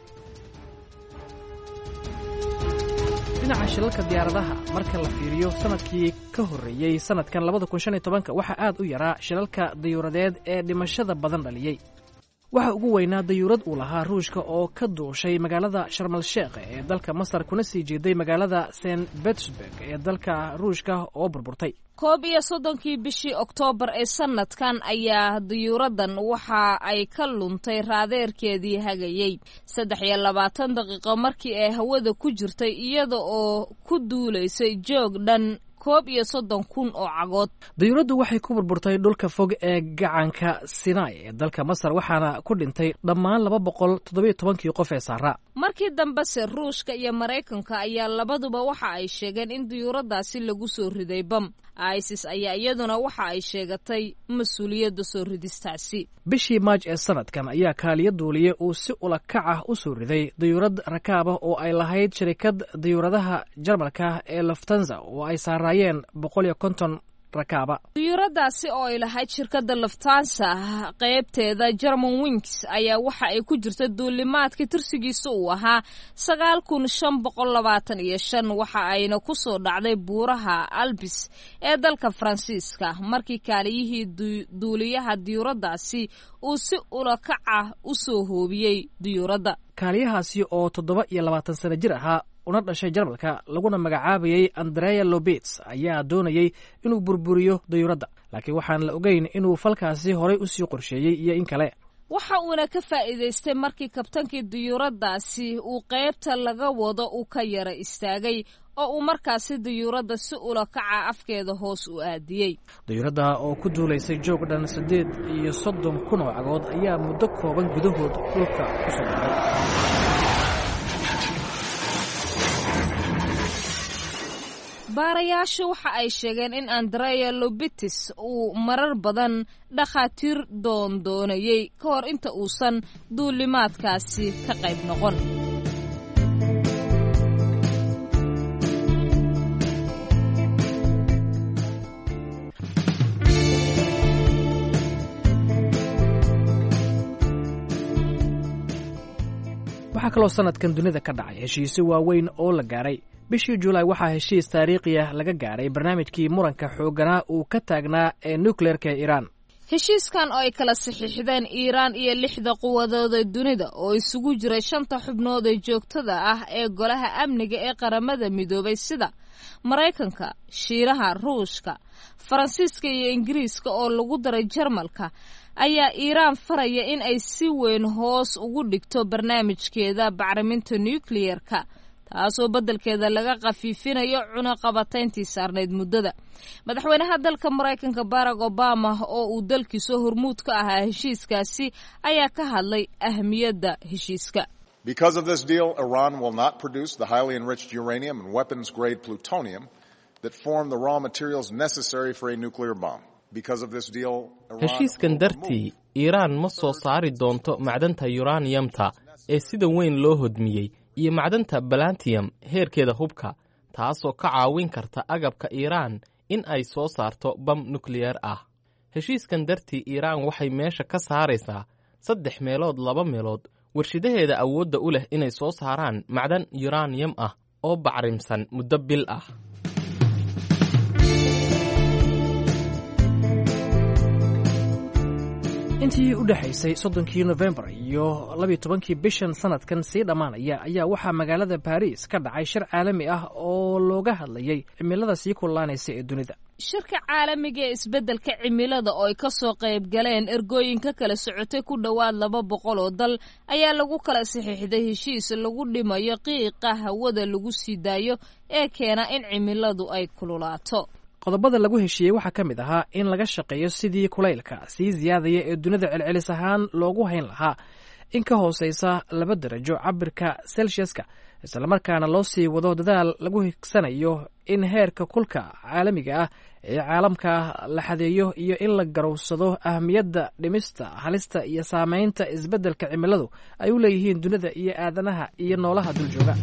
Dhinaca shilalka diyaaradaha marka la fiiriyo, sanadkii ka horreeyey sanadkan labada kun shan iyo tobanka waxaa aad u yaraa shilalka dayuuradeed ee dhimashada badan dhaliyey. Waxa ugu weynaa dayuurad uu lahaa Ruushka oo ka duushay magaalada Sharmal Sheekh ee dalka Masar kuna sii jeeday magaalada Saint Petersburg ee dalka Ruushka oo burburtay. Koob iyo soddonkii bishii Oktoobar ee sanadkan ayaa dayuuraddan waxa ay ka luntay raadeerkeedii hagayey saddex iyo labaatan daqiiqo markii ay hawada ku jirtay, iyada oo ku duulaysay joog dhan koob iyo soddon kun oo cagood. Dayuuraddu waxay ku burburtay dhulka fog ee gacanka Sinai ee dalka Masar, waxaana ku dhintay dhammaan laba boqol toddobiyo tobankii qof ee saaraa. Markii dambese Ruushka iyo Maraykanka ayaa labaduba waxa ay sheegeen in dayuuraddaasi lagu soo riday bam. ISIS ayaa iyaduna waxa ay sheegatay mas-uuliyadda soo ridistaasi. Bishii Maaj ee sanadkan ayaa kaaliyo duuliye uu si ula kac ah u soo riday dayuurad rakaab ah oo ay lahayd shirikad dayuuradaha Jarmalka ee Lufthansa oo ay saaraayeen boqol iyo konton rakaaba. Dayuuradaasi oo ay lahayd shirkadda Lufthansa qaybteeda German Wings ayaa waxa ay ku jirta duulimaadkii tirsigiisa uu ahaa sagaal kun shan boqol labaatan iyo shan, waxa ayna ku soo dhacday buuraha Albis ee dalka Faransiiska markii kaaliyihii duuliyaha dayuuradaasi uu si ula kac ah u soo hoobiyey dayuuradda. Kaaliyahaasi oo toddoba iyo labaatan sano jir ahaa una dhashay Jarmalka laguna magacaabayay Andrea Lobits ayaa doonayey inuu burburiyo dayuuradda, laakiin waxaan la ogeyn inuu falkaasi horay usii qorsheeyey iyo in kale. Waxa uuna ka faa'iidaystay markii kabtankii dayuuraddaasi uu qaybta laga wado uu ka yara istaagay oo uu markaasi dayuuradda si ula kaca afkeeda hoos u aadiyey. Dayuuradda oo ku duulaysay joog dhan siddeed iyo soddon kun oo cagood ayaa muddo kooban gudahood dhulka ku soo dhacday. Baarayaashu waxa ay sheegeen in Andrea Lobitis uu marar badan dhakhaatiir doondoonayey ka hor inta uusan duulimaadkaasi ka qayb noqon. Waxaa kaloo sanadkan dunida ka dhacay heshiisyo waaweyn oo la gaaray. Bishii Julaay waxaa heshiis taariikhi ah laga gaaray barnaamijkii muranka xoogganaa uu ka taagnaa ee nukleerka ee Iiraan. Heshiiskan oo ay kala saxiixdeen Iiraan iyo lixda quwadooda dunida oo isugu jira shanta xubnood ee joogtada ah ee Golaha Amniga ee Qaramada Midoobay, sida Maraykanka, Shiinaha, Ruushka, Faransiiska iyo Ingiriiska oo lagu daray Jarmalka, ayaa Iiraan faraya in ay si weyn hoos ugu dhigto barnaamijkeeda bacriminta nukliyerka, taasoo beddelkeeda laga khafiifinayo cunaqabatayntii saarnayd muddada. Madaxweynaha dalka Maraykanka Barack Obama, oo uu dalkiisu hormuud ka ahaa heshiiskaasi, ayaa ka hadlay ahmiyadda heshiiska. Because of this deal, Iran will not produce the highly enriched uranium and weapons grade plutonium that form the raw materials necessary for a nuclear bomb. Because of this deal, Heshiiskan dartii, Iiraan ma soo saari doonto macdanta yuraniyamta ee sida weyn loo hodmiyey iyo macdanta balantiyam heerkeeda hubka, taasoo ka caawin karta agabka Iiraan in ay soo saarto bam nukliyeer ah. Heshiiskan dartii, Iiraan waxay meesha ka saaraysaa saddex meelood laba meelood warshidaheeda awoodda u leh inay soo saaraan macdan yuraniyam ah oo bacrimsan muddo bil ah. Intii u dhexaysay soddonkii Nofembar iyo labiyo tobankii bishan sanadkan sii dhammaanaya ayaa waxaa magaalada Baariis ka dhacay shir caalami ah oo looga hadlayay cimilada sii kululaanaysa ee dunida. Shirka caalamiga ee isbeddelka cimilada oo ay ka soo qayb galeen ergooyin ka kala socotay ku dhowaad laba boqol oo dal ayaa lagu kala saxiixday heshiis lagu dhimayo qiiqa hawada lagu sii daayo ee keena in cimiladu ay kululaato. Qodobada lagu heshiiyey waxaa ka mid ahaa in laga shaqeeyo sidii kulaylka sii siyaadaya ee dunida celcelis ahaan loogu hayn lahaa in ka hooseysa laba darajo cabirka Celsiuska, islamarkaana loo sii wado dadaal lagu higsanayo in heerka kulka caalamiga ah ee caalamka la xadeeyo, iyo in la garowsado ahmiyadda dhimista halista iyo saameynta isbeddelka cimiladu ay u leeyihiin dunida iyo aadanaha iyo noolaha duljooga.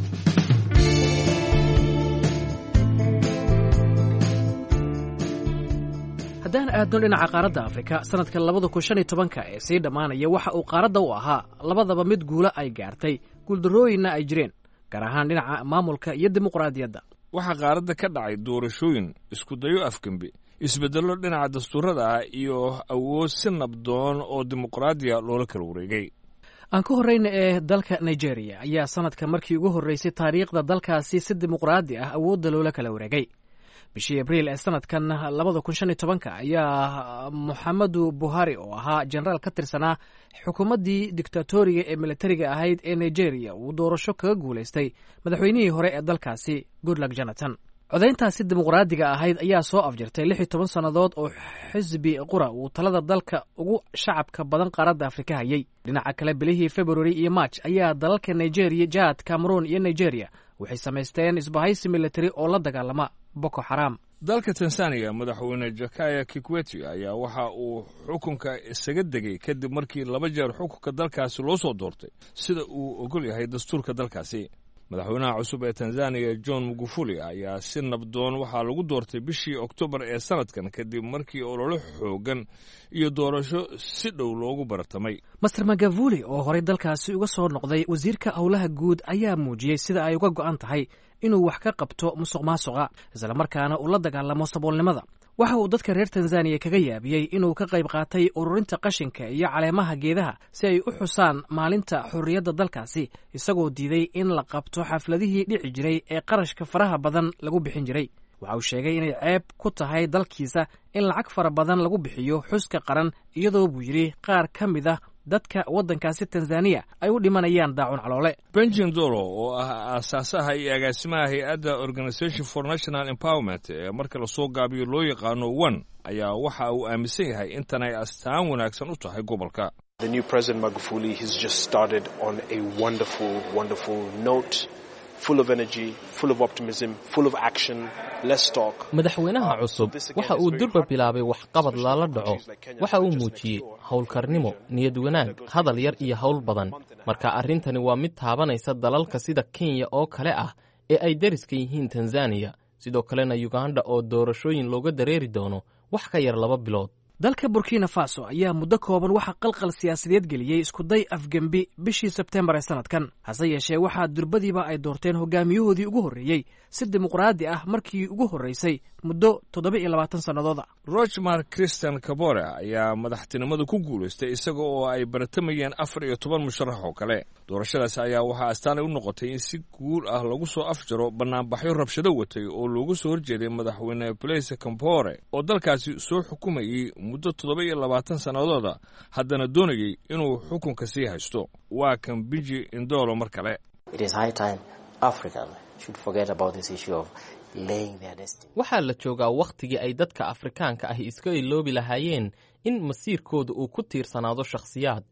Haddaan aadno dhinaca qaaradda Afrika, sanadka labada kun shan iyo tobanka ee sii dhammaanaya waxa uu qaaradda u ahaa labadaba mid guulo ay gaartay, guuldarrooyinna ay jireen, gaar ahaan dhinaca maamulka iyo dimuqraadiyadda. Waxaa qaaradda ka dhacay doorashooyin, iskudayo afgembi, isbeddello dhinaca dastuurada ah iyo awood si nabdoon oo dimuqraadiya loola kala wareegay. Aan ka horreyna ee dalka Nigeria ayaa sanadka markii ugu horreysay taariikhda dalkaasi si dimuqraadi ah awoodda loola kala wareegay. Bishii Abriil ee sanadkan labada kun shan iyo tobanka ayaa Moxamedu Buhari, oo ahaa jenaraal ka tirsanaa xukuumaddii dictatoriga ee militariga ahayd ee Nigeria, uu doorasho kaga guulaystay madaxweynihii hore ee dalkaasi Goodluck Jonathan. Codayntaasi dimuqraadiga ahayd ayaa soo afjartay lix iyo toban sannadood oo xisbi qura uu talada dalka ugu shacabka badan qaaradda Afrika hayay. Dhinaca kale, bilihii February iyo March ayaa dalalka Nigeria, Jad, Cameroon iyo Nigeria waxay samaysteen isbahaysi militari oo la dagaalama Boko Xaram. Dalka Tanzaniya, madaxweyne Jakaya Kikwete ayaa waxa uu xukunka isaga degay kadib markii laba jeer xukunka dalkaasi loo soo doortay sida uu ogol yahay dastuurka dalkaasi. Madaxweynaha cusub ee Tanzaniya John Magufuli ayaa si nabdoon waxaa lagu doortay bishii Oktoobar ee sanadkan kadib markii ololo xoogan iyo doorasho si dhow loogu baratamay. Master Magavuli oo horey dalkaasi uga soo noqday wasiirka howlaha guud ayaa muujiyey sida ay uga go'an tahay inuu wax ka qabto musuq maasuqa, islamarkaana uu la dagaalamo saboolnimada. Waxa uu dadka reer Tanzaniya kaga yaabiyey inuu ka qayb qaatay ururinta qashinka iyo caleemaha geedaha si ay u xusaan maalinta xorriyadda dalkaasi, isagoo diiday in la qabto xafladihii dhici jiray ee qarashka faraha badan lagu bixin jiray. Waxa uu sheegay inay ceeb ku tahay dalkiisa in lacag fara badan lagu bixiyo xuska qaran, iyadoo buu yidhi qaar ka mid ah dadka waddankaasi Tanzaniya ay u dhimanayaan daacun caloole. Benjamin Dolo oo ah aasaasaha iyo agaasimaha hay-adda Organisation for National Empowerment ee marka lasoo gaabiyo loo yaqaano one ayaa waxa uu aaminsan yahay intan ay astaan wanaagsan u tahay gobolka. The new President Magufuli has just started on a wonderful, wonderful note, full of energy, full of optimism, full of action, less talk. Madaxweynaha cusub waxa uu durba bilaabay waxqabad lala dhaco. Waxa uu muujiyey howlkarnimo, niyad wanaag, hadal yar iyo howl badan. Marka arrintani waa mid taabanaysa dalalka sida Kenya oo kale ah ee ay deriska yihiin Tanzaniya, sidoo kalena Uganda oo doorashooyin looga dareeri doono wax ka yar laba bilood. Dalka Burkina Faso ayaa muddo kooban waxaa qalqal siyaasadeed geliyey iskuday afgembi bishii Sebtembar ee sanadkan. Hase yeeshee, waxaa durbadiiba ay doorteen hogaamiyahoodii ugu horreeyey si dimuqraadi ah markii ugu horreysay muddo toddoba iyo labaatan sannadooda. Roch Marc Christian Kabore ayaa madaxtinimada ku guulaystay isaga oo ay baratamayeen afar iyo toban musharax oo kale. Doorashadaas ayaa waxaa astaanay u noqotay in si guul ah lagu soo afjaro bannaanbaxyo rabshado watay oo loogu soo horjeeday madaxweyne Blaise Compaore oo dalkaasi soo xukumayey muddo toddoba iyo labaatan sannadooda, haddana doonayey inuu xukunka sii haysto. Waa kan Biji Indolo mar kale. Waxaa la joogaa wakhtigii ay dadka Afrikaanka ahi iska iloobi lahaayeen in masiirkooda uu ku tiirsanaado shakhsiyaad,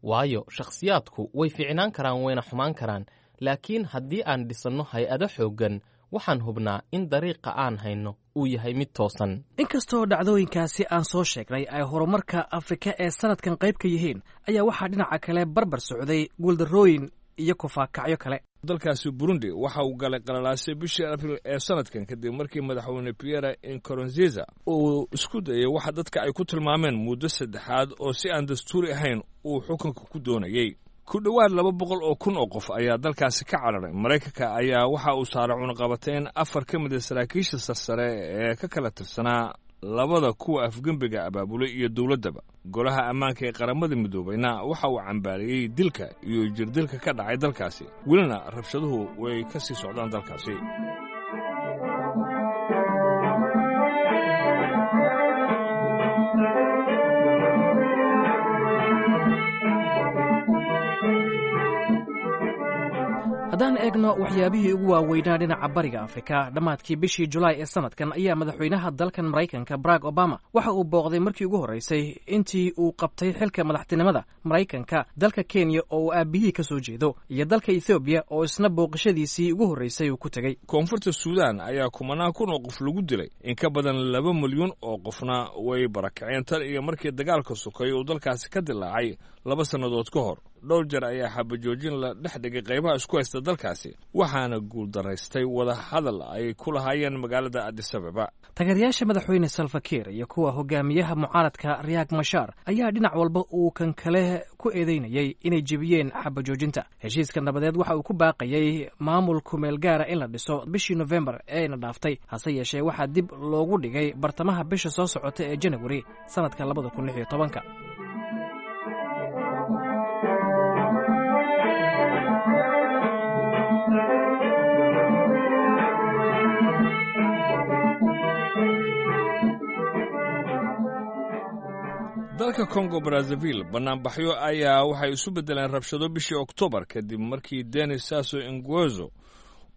waayo shakhsiyaadku way fiicnaan karaan wayna xumaan karaan, laakiin haddii aan dhisanno hay-ado xooggan, waxaan hubnaa in dariiqa aan hayno uu yahay mid toosan. Inkastoo dhacdooyinkaasi aan soo sheegnay ay horumarka Afrika ee sanadkan qayb ka yihiin, ayaa waxaa dhinaca kale barbar socday guuldarrooyin iyo kufaakacyo kale. Dalkaasi Burundi waxa uu galay qalalaasay bishii Abril ee sanadkan kadib markii madaxweyne Pierre Nkurunziza uu isku dayay waxa dadka ay ku tilmaameen muddo saddexaad oo si aan dastuuri ahayn uu xukunka ku doonayey. Ku dhowaad laba boqol oo kun oo qof ayaa dalkaasi ka cararay. Maraykanka ayaa waxa uu saaray cunaqabateyn afar ka mid a saraakiisha sarsare ee ka kala tirsanaa labada kuwa afgembiga abaabulay iyo dowladdaba. Golaha ammaanka ee Qaramada Midoobayna waxa uu cambaariyey dilka iyo jirdilka ka dhacay dalkaasi, welina rabshaduhu way ka sii socdaan dalkaasi. Haddaan eegno waxyaabihii ugu waaweynaa dhinaca bariga Afrika, dhammaadkii bishii Julaay ee sanadkan ayaa madaxweynaha dalkan Maraykanka Barack Obama waxa uu booqday markii ugu horreysay intii uu qabtay xilka madaxtinimada Maraykanka dalka Kenya oo uu aabihii ka soo jeedo, iyo dalka Ethoobiya oo isna booqashadiisii ugu horreysay uu ku tegey. Koonfurta Suudaan ayaa kumanaan kun oo qof lagu dilay, in ka badan laba milyuun oo qofna way barakaceen tan iyo markii dagaalka sokay uu dalkaasi ka dilaacay laba sannadood ka hor. Dhowr jeer ayaa xabajoojin la dhex dhigay qaybaha isku haysta dalkaasi, waxaana guuldaraystay wada hadal ay ku lahaayeen magaalada Addis Ababa. Taageerayaasha madaxweyne Salva Kiir iyo kuwa hogaamiyaha mucaaradka Riek Machar ayaa dhinac walba uu kan kale ku eedeynayay inay jebiyeen xabajoojinta. Heshiiska nabadeed waxa uu ku baaqayay maamul kumeel gaara in la dhiso bishii Nofembar ee ina dhaaftay, hase yeeshee waxaa dib loogu dhigay bartamaha bisha soo socota ee Janawari sanadka labada kun lix iyo tobanka. Dalka Congo Brazzaville bannaanbaxyo ayaa waxay isu beddeleen rabshado bishii Oktoobar kadib markii Denis Sassou Nguesso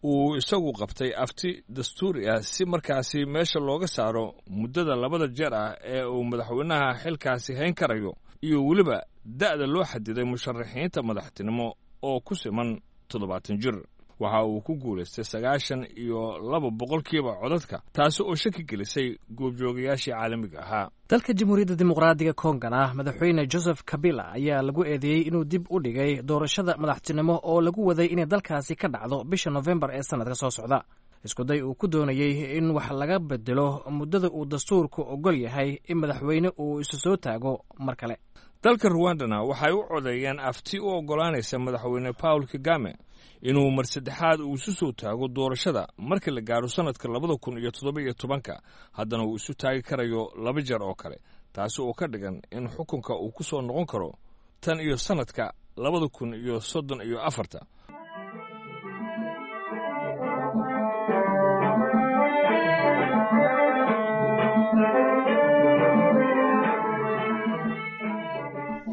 uu isagu qabtay afti dastuuri ah si markaasi meesha looga saaro muddada labada jeer ah ee uu madaxweynaha xilkaasi hayn karayo iyo weliba da'da loo xadiday musharaxiinta madaxtinimo oo ku siman toddobaatan jir. Waxa uu ku guulaystay sagaashan iyo laba boqolkiiba codadka, taasi oo shaki gelisay goobjoogayaashii caalamiga ahaa. Dalka Jamhuuriyadda Dimuqraadiga Kongana, madaxweyne Joseph Kabila ayaa lagu eedeeyey inuu dib u dhigay doorashada madaxtinimo oo lagu waday inay dalkaasi ka dhacdo bisha Nofembar ee sanadka soo socda, iskuday uu ku doonayey in wax laga bedelo muddada uu dastuurku ogol yahay in madaxweyne uu isu soo taago mar kale. Dalka Ruwandana waxay u codeeyeen afti u oggolaanaysa madaxweyne Paul Kagame inuu mar saddexaad uu isu soo taago doorashada marka la gaaro sannadka labada kun iyo toddoba iyo tobanka, haddana uu isu taagi karayo laba jeer oo kale, taasi oo ka dhigan in xukunka uu ku soo noqon karo tan iyo sannadka labada kun iyo soddon iyo afarta.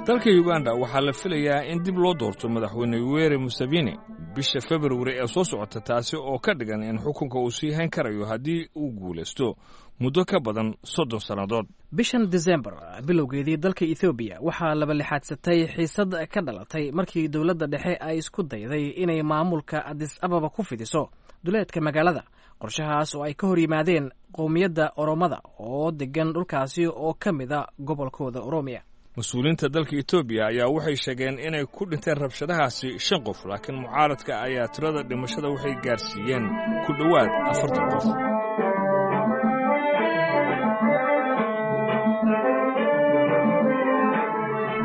Dalka Uganda waxaa la filayaa in dib loo doorto madaxweyne Yoweri Museveni bisha Februari ee soo socota, taasi oo ka dhigan in xukunka uu sii hayn karayo haddii uu guulaysto muddo ka badan soddon sannadood. Bishan Desembar bilowgeedii dalka Ethoobiya waxaa laba lixaadsatay xiisad ka dhalatay markii dowladda dhexe ay isku dayday inay maamulka Addis Ababa ku fidiso duleedka magaalada, qorshahaas oo ay ka hor yimaadeen qowmiyadda Oromada oo degan dhulkaasi oo ka mid a gobolkooda Oromiya. Mas-uuliyiinta dalka Etoobiya ayaa waxay sheegeen inay ku dhinteen rabshadahaasi shan qof, laakiin mucaaradka ayaa tirada dhimashada waxay gaarsiiyeen ku dhowaad afartan qof.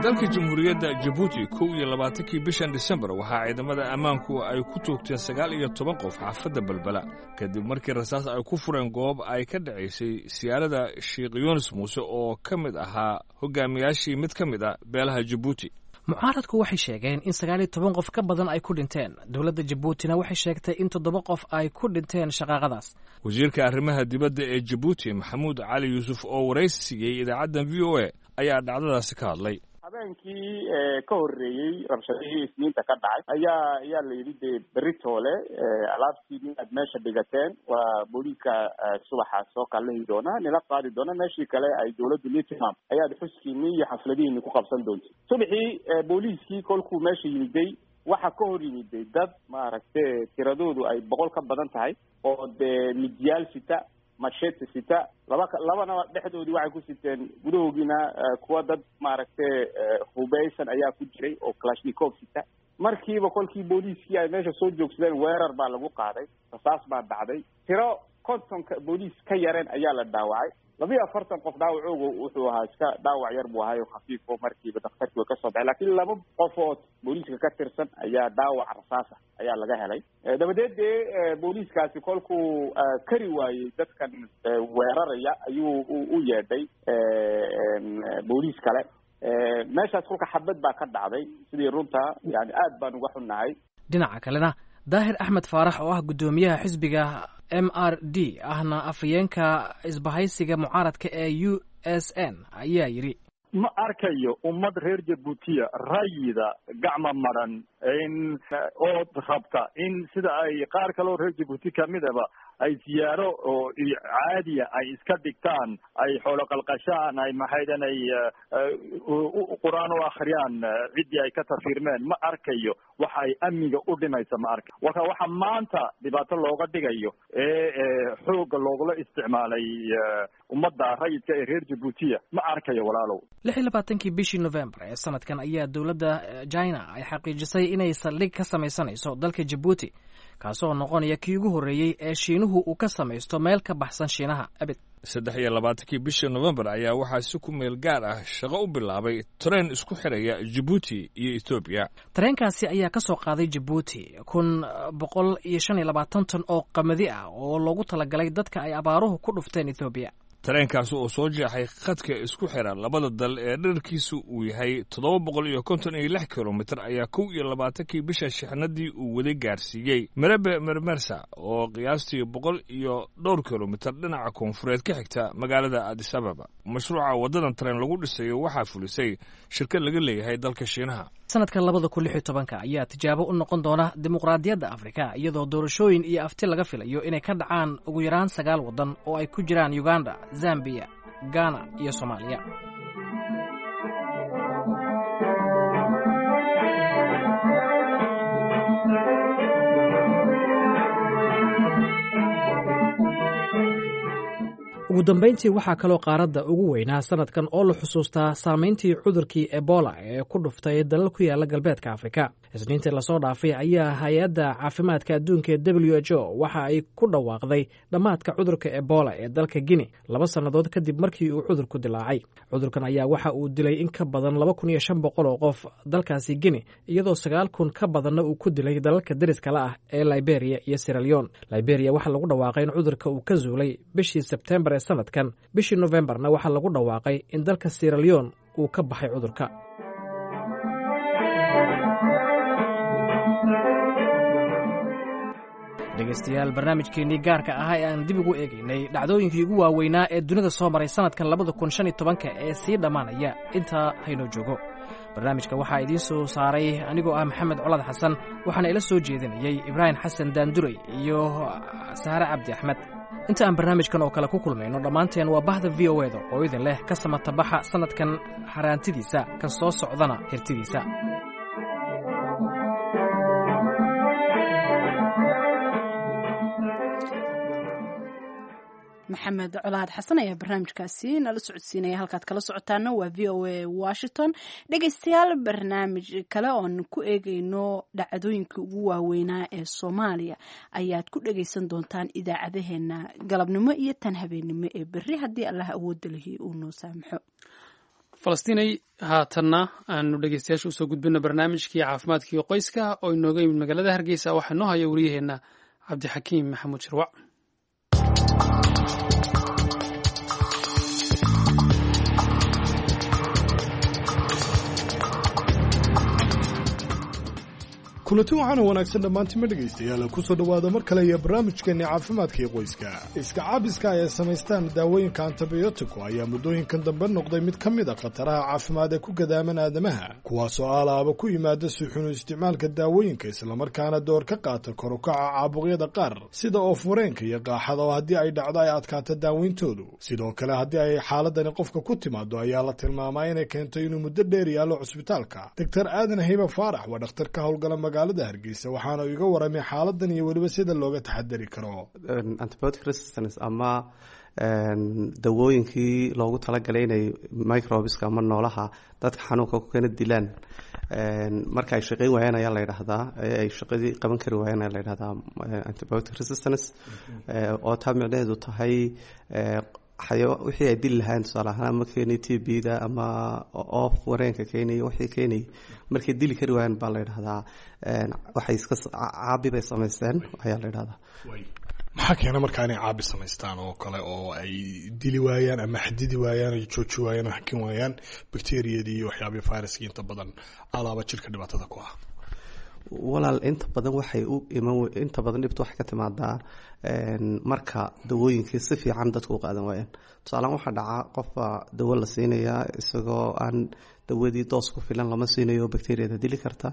Dalka Jamhuuriyadda Jabuuti, kow iyo labaatankii bishan Disembar, waxaa ciidamada ammaanku ay ku toogteen sagaal iyo toban qof xaafadda Balbala, kadib markii rasaas ay ku fureen goob ay ka dhacaysay siyaarada Sheekh Yuunus Muuse oo ka mid ahaa hogaamiyaashii mid ka mid a beelaha Jabuuti. Mucaaradku waxay sheegeen in sagaal iyo toban qof ka badan ay ku dhinteen. Dowladda Jabuutina waxay sheegtay in toddoba qof ay ku dhinteen shaqaaqadaas. Wasiirka arrimaha dibadda ee Jabuuti, Maxamuud Cali Yuusuf, oo waraysi siiyey idaacaddan V O A ayaa dhacdadaasi ka hadlay. Habeenkii ka horreeyey rabshadihii Isniinta ka dhacay ayaa ayaa la yidhi dee beritoole alaabtii inaad meesha dhigateen waa booliiska subaxa soo kallahi doona, nila qaadi doona, meeshii kale ay dawladdu nii tilmaam ayaad xuskiinii iyo xafladihiini ku qabsan doonta. Subaxii booliiskii kolkuu meesha yimiday, waxaa ka hor yimiday dad maaragte tiradoodu ay boqol ka badan tahay oo dee midyaal sita, machete sita, laba labana dhexdoodii waxay ku siteen, gudahoogiina kuwa dad maaragte hubeysan ayaa ku jiray oo kalashnikov sita. Markiiba kolkii booliiskii ay meesha soo joogsadeen, weerar baa lagu qaaday, rasaas baa dhacday, tiro kontonka booliis ka yareen ayaa la dhaawacay. Labiyo afartan qof dhaawacooga wuxuu ahaa iska dhaawac yar buu ahaay oo khafiifo, markiiba daktarkii way kasoo baxay, laakiin laba qofood booliiska ka tirsan ayaa dhaawac rasaasa ayaa laga helay. Dabadeed dee booliiskaasi kolkuu kari waayey dadkan weeraraya ayuu u yeedhay booliis kale. Meeshaas kolka xabad baa ka dhacday. Sidii runta yani aad baan uga xunnahay. Dhinaca kalena, Daahir Axmed Faarax oo ah guddoomiyaha xisbiga M R D ahna afhayeenka isbahaysiga mucaaradka ee U S N ayaa yidhi: Ma arkayo ummad reer Jabuutiya rayida gacma maran in ood rabta in sida ay qaar kaleo reer Jabuuti kamidaba ay siyaaro oo caadiya ay iska dhigtaan, ay xoolo qalqashaan, ay maxaydan ay qur-aan u akhriyaan ciddii ay ka tafiirmeen. Ma arkayo waxa ay amniga u dhimaysa, ma arkayo. Warka waxa maanta dhibaato looga dhigayo ee xoogga loogula isticmaalay ummadda rayidka ee reer Jabuutiya ma arkayo, walaalow. Lix iyo labaatankii bishii Novembar ee sanadkan ayaa dowladda China ay xaqiijisay inay saldhig ka samaysanayso dalka Jabuuti, kaasoo noqonaya kii ugu horreeyey ee Shiinuhu uu ka samaysto meel ka baxsan Shiinaha abid. Saddex iyo labaatankii bishii Novembar ayaa waxaa si ku meel gaar ah shaqo u bilaabay tareen isku xiraya Jabuuti iyo Etoobiya. Tareenkaasi ayaa ka soo qaaday Jabuuti kun boqol iyo shan iyo labaatan tan oo qamadi ah oo loogu talagalay dadka ay abaaruhu ku dhufteen Etoobiya. Tareenkaasi oo soo jeexay khadka isku xira labada dal ee dherarkiisu uu yahay toddoba boqol iyo konton iyo lix kilomitir ayaa kow iyo labaatankii bisha shixnadii uu waday gaarsiiyey Merebe Mermersa oo qiyaastii boqol iyo dhowr kilomitir dhinaca koonfureed ka xigta magaalada Addis Ababa. Mashruuca waddadan tareen lagu dhisayo waxaa fulisay shirkad laga leeyahay dalka Shiinaha. Sanadka labada kun lix iyo tobanka ayaa tijaabo u noqon doona dimuqraadiyadda Afrika, iyadoo doorashooyin iyo afti laga filayo inay ka dhacaan ugu yaraan sagaal waddan oo ay ku jiraan Uganda, Zambiya, Ghana iyo Soomaaliya. Ugu dambayntii, waxaa kaloo qaaradda ugu weynaa sanadkan oo la xusuustaa saamayntii cudurkii Ebola ee ku dhuftay dalal ku yaala galbeedka Afrika. Isniintii lasoo dhaafay ayaa hay-adda caafimaadka adduunka ee W H O waxa ay ku dhawaaqday dhammaadka cudurka Ebola ee dalka Guinea, laba sannadood kadib markii uu cudurku dilaacay. Cudurkan ayaa waxa uu dilay in ka badan laba kun iyo shan boqol oo qof dalkaasi Guinea, iyadoo sagaal kun ka badanna uu ku dilay dalalka deriska la ah ee Liberia iyo Sierra Leone. Liberia waxaa lagu dhawaaqay in cudurka uu ka zuulay bishii Sebtembar ee sanadkan. Bishii Nofembarna waxaa lagu dhawaaqay in dalka Sierra Leone uu ka baxay cudurka. Dhegaystayaal, barnaamijkeennii gaarka ahaa ee aan dib ugu eegaynay dhacdooyinkii ugu waaweynaa ee dunida soo maray sanadkan labada kun shan iyo tobanka ee sii dhammaanaya intaa haynoo joogo. Barnaamijka waxaa idiin soo saaray anigoo ah Maxamed Colaad Xasan, waxaana ila soo jeedinayey Ibraahim Xasan Daanduray iyo Saare Cabdi Axmed. Inta aan barnaamijkan oo kale ku kulmayno, dhammaanteen waa bahda V O eda oo idin leh ka samatabaxa sanadkan haraantidiisa, kan soo socdana hirtidiisa. Maxamed Colaad Xasan ayaa barnaamijkaasi nala socodsiinaya. Halkaad kala socotaana waa V O A Washington. Dhegeystayaal, barnaamij kale oon ku eegeyno dhacdooyinkii ugu waaweynaa ee Soomaaliya ayaad ku dhegeysan doontaan idaacadaheena galabnimo iyo tan habeennimo ee berri, haddii Allah awoodda lihi uu noo saamaxo. Falastinay, haatanna aanu dhegeystayaasha usoo gudbino barnaamijkii caafimaadka iyo qoyska oo inooga yimid magaalada Hargeysa. Waxaa noo haya wariyaheenna Cabdixakiim Maxamuud Shirwac. Kulanti waxaana wanaagsan dhammaantima dhegaystayaal, kusoo dhowaada mar kale iyo barnaamijkeenni caafimaadka iyo qoyska. Iska caabiska ay samaystaan daawooyinka antibiyootiku ayaa muddooyinkan dambe noqday mid ka mid a khataraha caafimaad ee ku gadaaman aadamaha, kuwaasoo aalaaba ku yimaada si xunu isticmaalka daawooyinka, islamarkaana door ka qaata kor u kaca caabuqyada qaar sida oof-wareenka iyo qaaxada, oo haddii ay dhacdo ay adkaato daaweyntoodu. Sidoo kale, haddii ay xaaladani qofka ku timaado ayaa la tilmaamaa inay keento inuu muddo dheer yaallo cusbitaalka. Doctor Aadan Hiba Faarax waa dhakhtar ka howlgala magaalada Hargeysa, waxaana uu iga waramay xaaladan iyo weliba sida looga taxadari karo. Antibiotic resistance ama dawooyinkii loogu talagalay inay microbeska ama noolaha dadka xanuunka ku keena dilaan marka ay shaqeyn waayaan ayaa la yidhaahdaa, ay shaqadii qaban kari waayaan ayaa la yidhahdaa antibiotic resistance, oo taa micnaheedu tahay wixii ay dili lahayn, tusaale ahaan ama keenay T B da ama oof wareenka keenay, wixii keenay markay dili kari waayaan baa la yidhahdaa waxay iska caabi bay samaysteen ayaa la yidhahdaa. Maxaa keena markaa inay caabi samaystaan oo kale, oo ay dili waayaan ama xadidi waayaan, ay jooji waayaan oo hakin waayaan bacteriyadii iyo waxyaabihii viruskii inta badan alaaba jirka dhibaatada ku ah? Walaal, inta badan waxay u iman, inta badan dhibta waxay ka timaadaa marka dawooyinkii si fiican dadku u qaadan waayaan. Tusaalehaan waxaa dhacaa qofba dawo la siinayaa isagoo aan dawadii doos ku filan lama siinayo bacteriyada dili karta,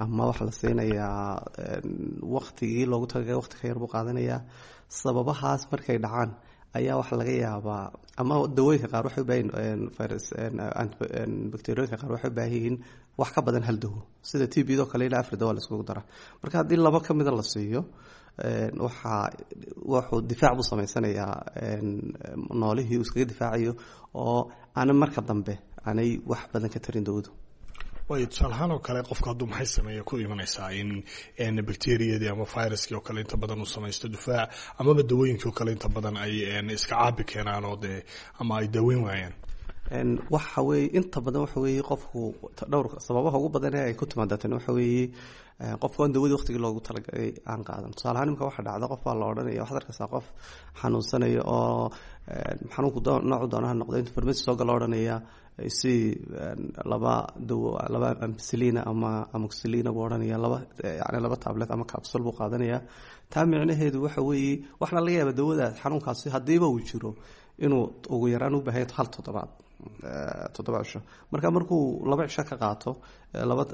ama waxaa la siinayaa waqtigii loogu talagalay waqti ka yar buu qaadanayaa. Sababahaas markay dhacaan ayaa waxaa laga yaabaa, ama dawooyinka qaar waxay u baahan virus, bacteriyooyinka qaar waxay u baahan yihiin wax ka badan hal dawo, sida T B do kale ilaa afar dawo la iskugu dara. Marka haddii laba ka mida la siiyo, waxaa wuxuu difaac buu samaysanayaa noolihii uu iskaga difaacayo, oo aana marka dambe aanay wax badan ka tarin dawadu. Waayo, tusaale ahaan oo kale qofka hadduu maxay sameeya ku imanaysaa in bacteriyadii ama viruskii oo kale inta badan uu samaysto difaac, amaba dawooyinkii oo kale inta badan ay iska caabi keenaan oo dee ama ay daaweyn waayaan? Waxa weeye inta badan waxa weeye qofku dhowr sababaha ugu badan ee ay ku timaada tani waxa weeye qofku aan dawadii waqtigii loogu talagalay aan qaadan. Tusaale ahaan imika waxa dhacda qof baa la odhanaya, waxaad arkaysaa qof xanuunsanaya oo xanuunku noocu doonaha noqdo, inta farmasi soo gala odhanaya si laba dawo, laba ampicillina ama amoxicillina buu odhanaya, laba yani laba tablet ama capsule buu qaadanaya. Taa micnaheedu waxa weeye waxna laga yaaba dawadaas xanuunkaasi haddiiba uu jiro inuu ugu yaraan u baahan hal toddobaad, toddoba cisho. Marka markuu laba cisho ka qaato laba,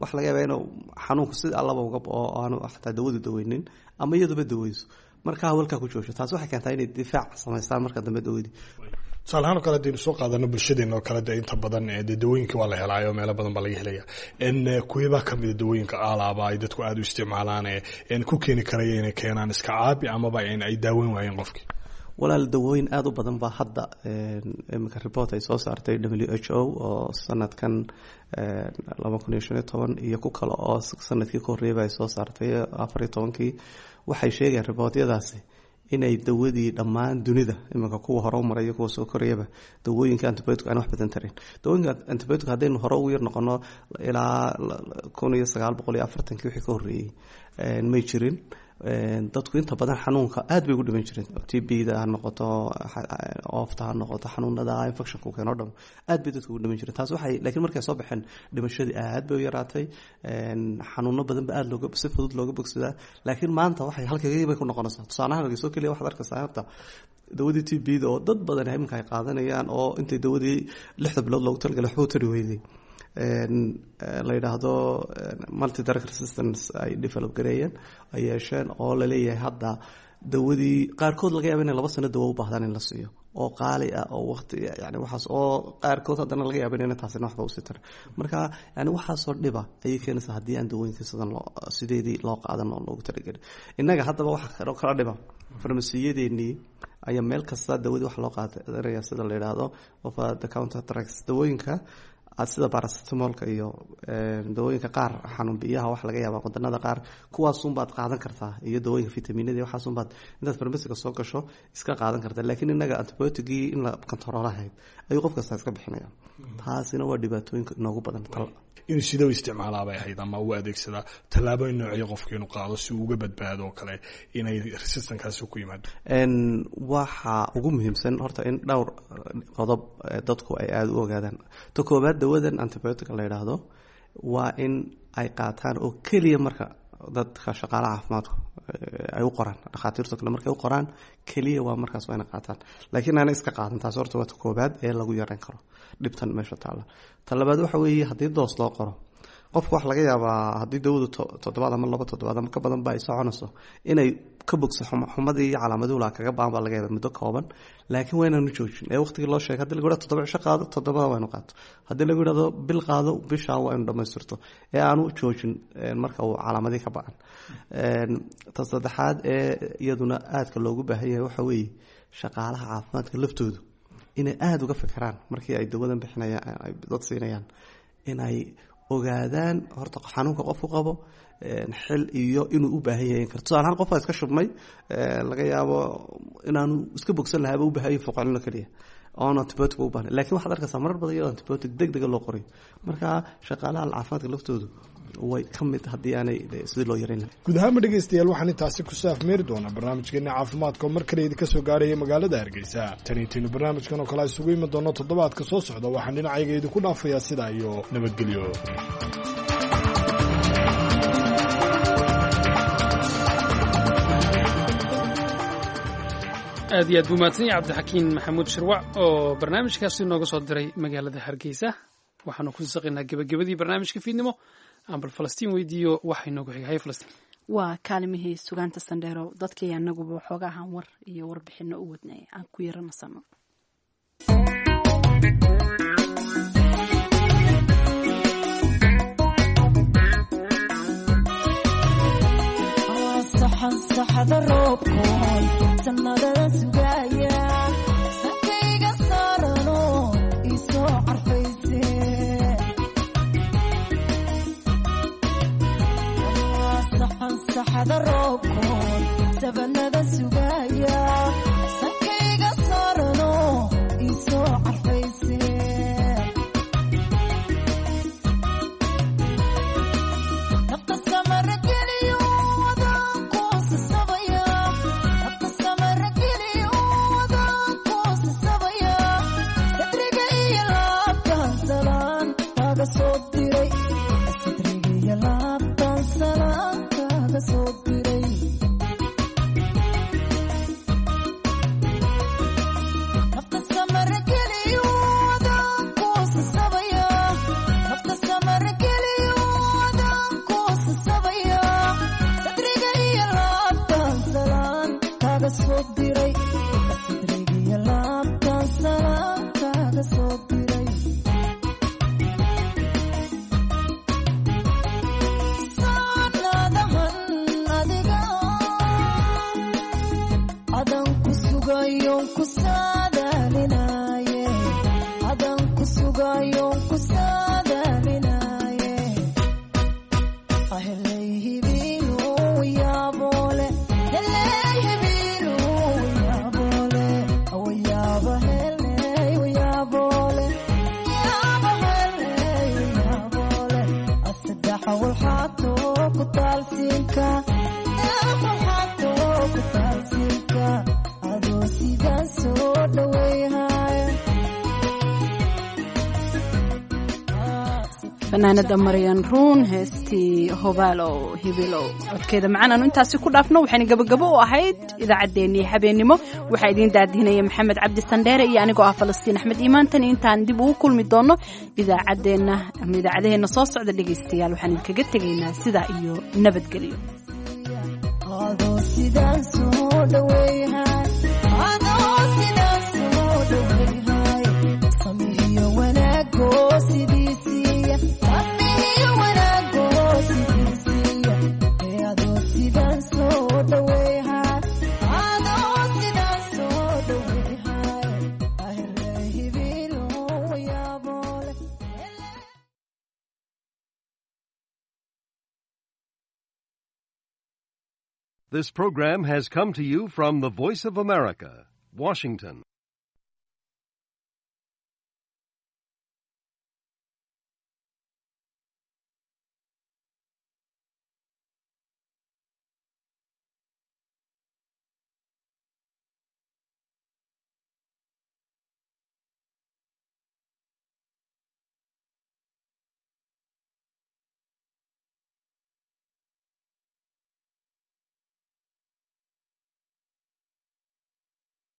waxa laga yaabaa inuu xanuunku si allaba uga oo aanu xataa dawadu daweynin ama iyaduba daweyso, marka hawlkaa ku joogto. Taasi waxay keentaa inay difaac samaystaan marka dambe dawadii. Tusaale ahaan oo kale hadaynu soo qaadano bulshadeena oo kale, dee inta badan dee dawooyinka waa la helaayo, meelo badan baa laga helaya. Kuwebaa kamida dawooyinka aalaaba ay dadku aada u isticmaalaan ee ku keeni karaya inay keenaan iska caabi amaba in ay daaweyn waayeen qofki? Walaal, dawooyin aada u badan baa hadda iminka report ay soo saartay W H O oo sanadkan laba kun iyo shan iyo toban iyo ku kale oo sanadkii ka horreeyaba ay soo saartay afar iyo tobankii, waxay sheegayaan reportyadaasi inay dawadii dhammaan dunida iminka kuwa hore u maray iyo kuwa soo korayaba dawooyinka antibiotic aan wax badan tarin. Dawooyinka antibiotic haddaynu hore ugu yar noqono ilaa kun iyo sagaal boqol iyo afartankii wixii ka horreeyey may jirin. Dadku inta badan xanuunka aad bay ugu dhiman jireen, T B da ha noqoto, oofta ha noqoto, xanuunada infectionku keeno dham aad bay dadku ugu dhiman jireen. Taas waxay laakiin markay soo baxeen dhimashadii aad bay u yaraatay, xanuuno badan ba aad looga si fudud looga bogsadaa. Laakiin maanta waxay halkagii bay ku noqonaysaa. Tusaalahaan hargeysa keliya waxaad arkaysaa horta dawadii T B da oo dad badan iminka ay qaadanayaan, oo intay dawadii lixda bilood loogu talagalay waxba u tari weyday, la yidhaahdo multi drug resistance ay develop gareeyeen, ay yeesheen, oo laleeyahay hadda dawadii qaarkood laga yaaba inay laba sano dawo u baahdaan in la siiyo oo qaali ah oo waqti yani waxaas oo qaarkood haddana laga yaaba inayna taasina waxba usii tarin. Marka yani waxaasoo dhiba ayay keenaysaa haddii aan dawooyinka sidan loo sideedii loo qaadan oo loogu talagelin. Innaga haddaba waxa kala dhiba farmasiyadeenii ayaa meel kasta dawadii wax loo qaadanaya sida la yidhaahdo over the counter drugs, dawooyinka aad sida baracetamolka iyo dawooyinka qaar xanuun biyaha waxa laga yaabaa wadanada qaar kuwaasunbaad qaadan kartaa, iyo dawooyinka fitaminada waxaasunbaad intaad farmasiga soo gasho iska qaadan kartaa. Laakiin innaga antibioticgii in la kantaroolahayd ayuu qof kasta iska bixinaya, taasina waa dhibaatooyinka inoogu badan. Inuu sidau isticmaalaabay ahayd ama u adeegsadaa tallaabooyin noocyo qofka inuu qaado si uu uga badbaado oo kale inay resistankaasi ku yimaado? Waxa ugu muhiimsan horta in dhowr qodob dadku ay aada u ogaadaan. Ta koobaad, dawadan antibiotic la yidhaahdo waa in ay qaataan oo keliya marka dadka shaqaalaha caafimaadku ay u qoraan, dhakhaatiirto kale markay u qoraan keliya waa markaas waa ina qaataan, laakiin aana iska qaadan. Taas horta waa ta koobaad ee lagu yareyn karo dhibtan meesha taalla. Ta labaad waxa weeye haddii doos loo qoro qofka, waxa laga yaabaa haddii dawadu toddobaad ama laba toddobaad ama ka badan ba ay soconayso inay ka bogso xumadii iyo calaamaduhu laa kaga baan baa laga yaaba muddo kooban, laakiin waa inaanu joojin ee waqtigii loo sheegay. Haddii lagu yidhahdo toddoba cisho qaado, toddobada waa inu qaato. Haddii lagu yidhahdo bil qaado, bishaa waa inu dhammaystirto ee aanu joojin marka uu calaamadii ka ba-an. Ta saddexaad ee iyaduna aadka loogu baahan yahay waxa weeye shaqaalaha caafimaadka laftoodu inay aada uga fikiraan markii ay dawadan bixinayaan ay dad siinayaan, inay ogaadaan horta xanuunka qofku qabo xil iyo inuu u baahan yahay kar. Tusaale ahaan, qofka iska shubmay laga yaabo inaanu iska bogsan lahaaba u baahan yahay foqolino keliya oon antibiotic u baahnayn, lakin waxaad arkaysaa marar badan iyadoo antibiotic deg dega loo qorayo. Marka shaqaalaha caafimaadka laftoodu way ka mid haddii aanay sidii loo yareyn lahaa. Guud ahaanba dhegeystayaal, waxaan intaasi ku saafmeeri doonaa barnaamijkeena caafimaadka oo mar kale idinka soo gaaraya magaalada Hargeysa. Tan intaynu barnaamijkan oo kale isugu iman doono toddobaadka soo socda, waxaan dhinacayga idinku dhaafayaa sidaa iyo nabadgelyo. Aad iyo aad buu mahadsan yahay Cabdixakiin Maxamuud Shirwac oo barnaamijkaasi nooga soo diray magaalada Hargeysa. Waxaanu ku saqaynaa gebagabadii barnaamijka fiidnimo. Aan bal Falastiin weydiiyo waxay noogu xigay. Falastiin, waa kaalimihii sugaanta Sandheero. Dadkii anaguba waxooga ahaan war iyo warbixino u wadnay aan ku yaranasano. Saxada roobkoon sanadada sugaya sankayga saarano isoo carfayse, saxada roobkoon sabanada sugaya sankayga saarano isoo carfayse. Nafta samarageliyo Fanaanada Maryan Ruun, heestii Hobaalow Hibilow, codkeeda macaan aanu intaasi ku dhaafno. Waxayna gabagabo u ahayd idaacaddeenii habeennimo. Waxaa idiin daadihinaya Maxamed Cabdi Sandheere iyo anigoo ah Falastiin Axmed Iimaantan. Intaan dib ugu kulmi doono idaacaddeenna ama idaacadaheenna soo socda, dhegaystayaal, waxaan idinkaga tegaynaa sidaa iyo nabadgelyo. This program has come to you from the Voice of America, Washington.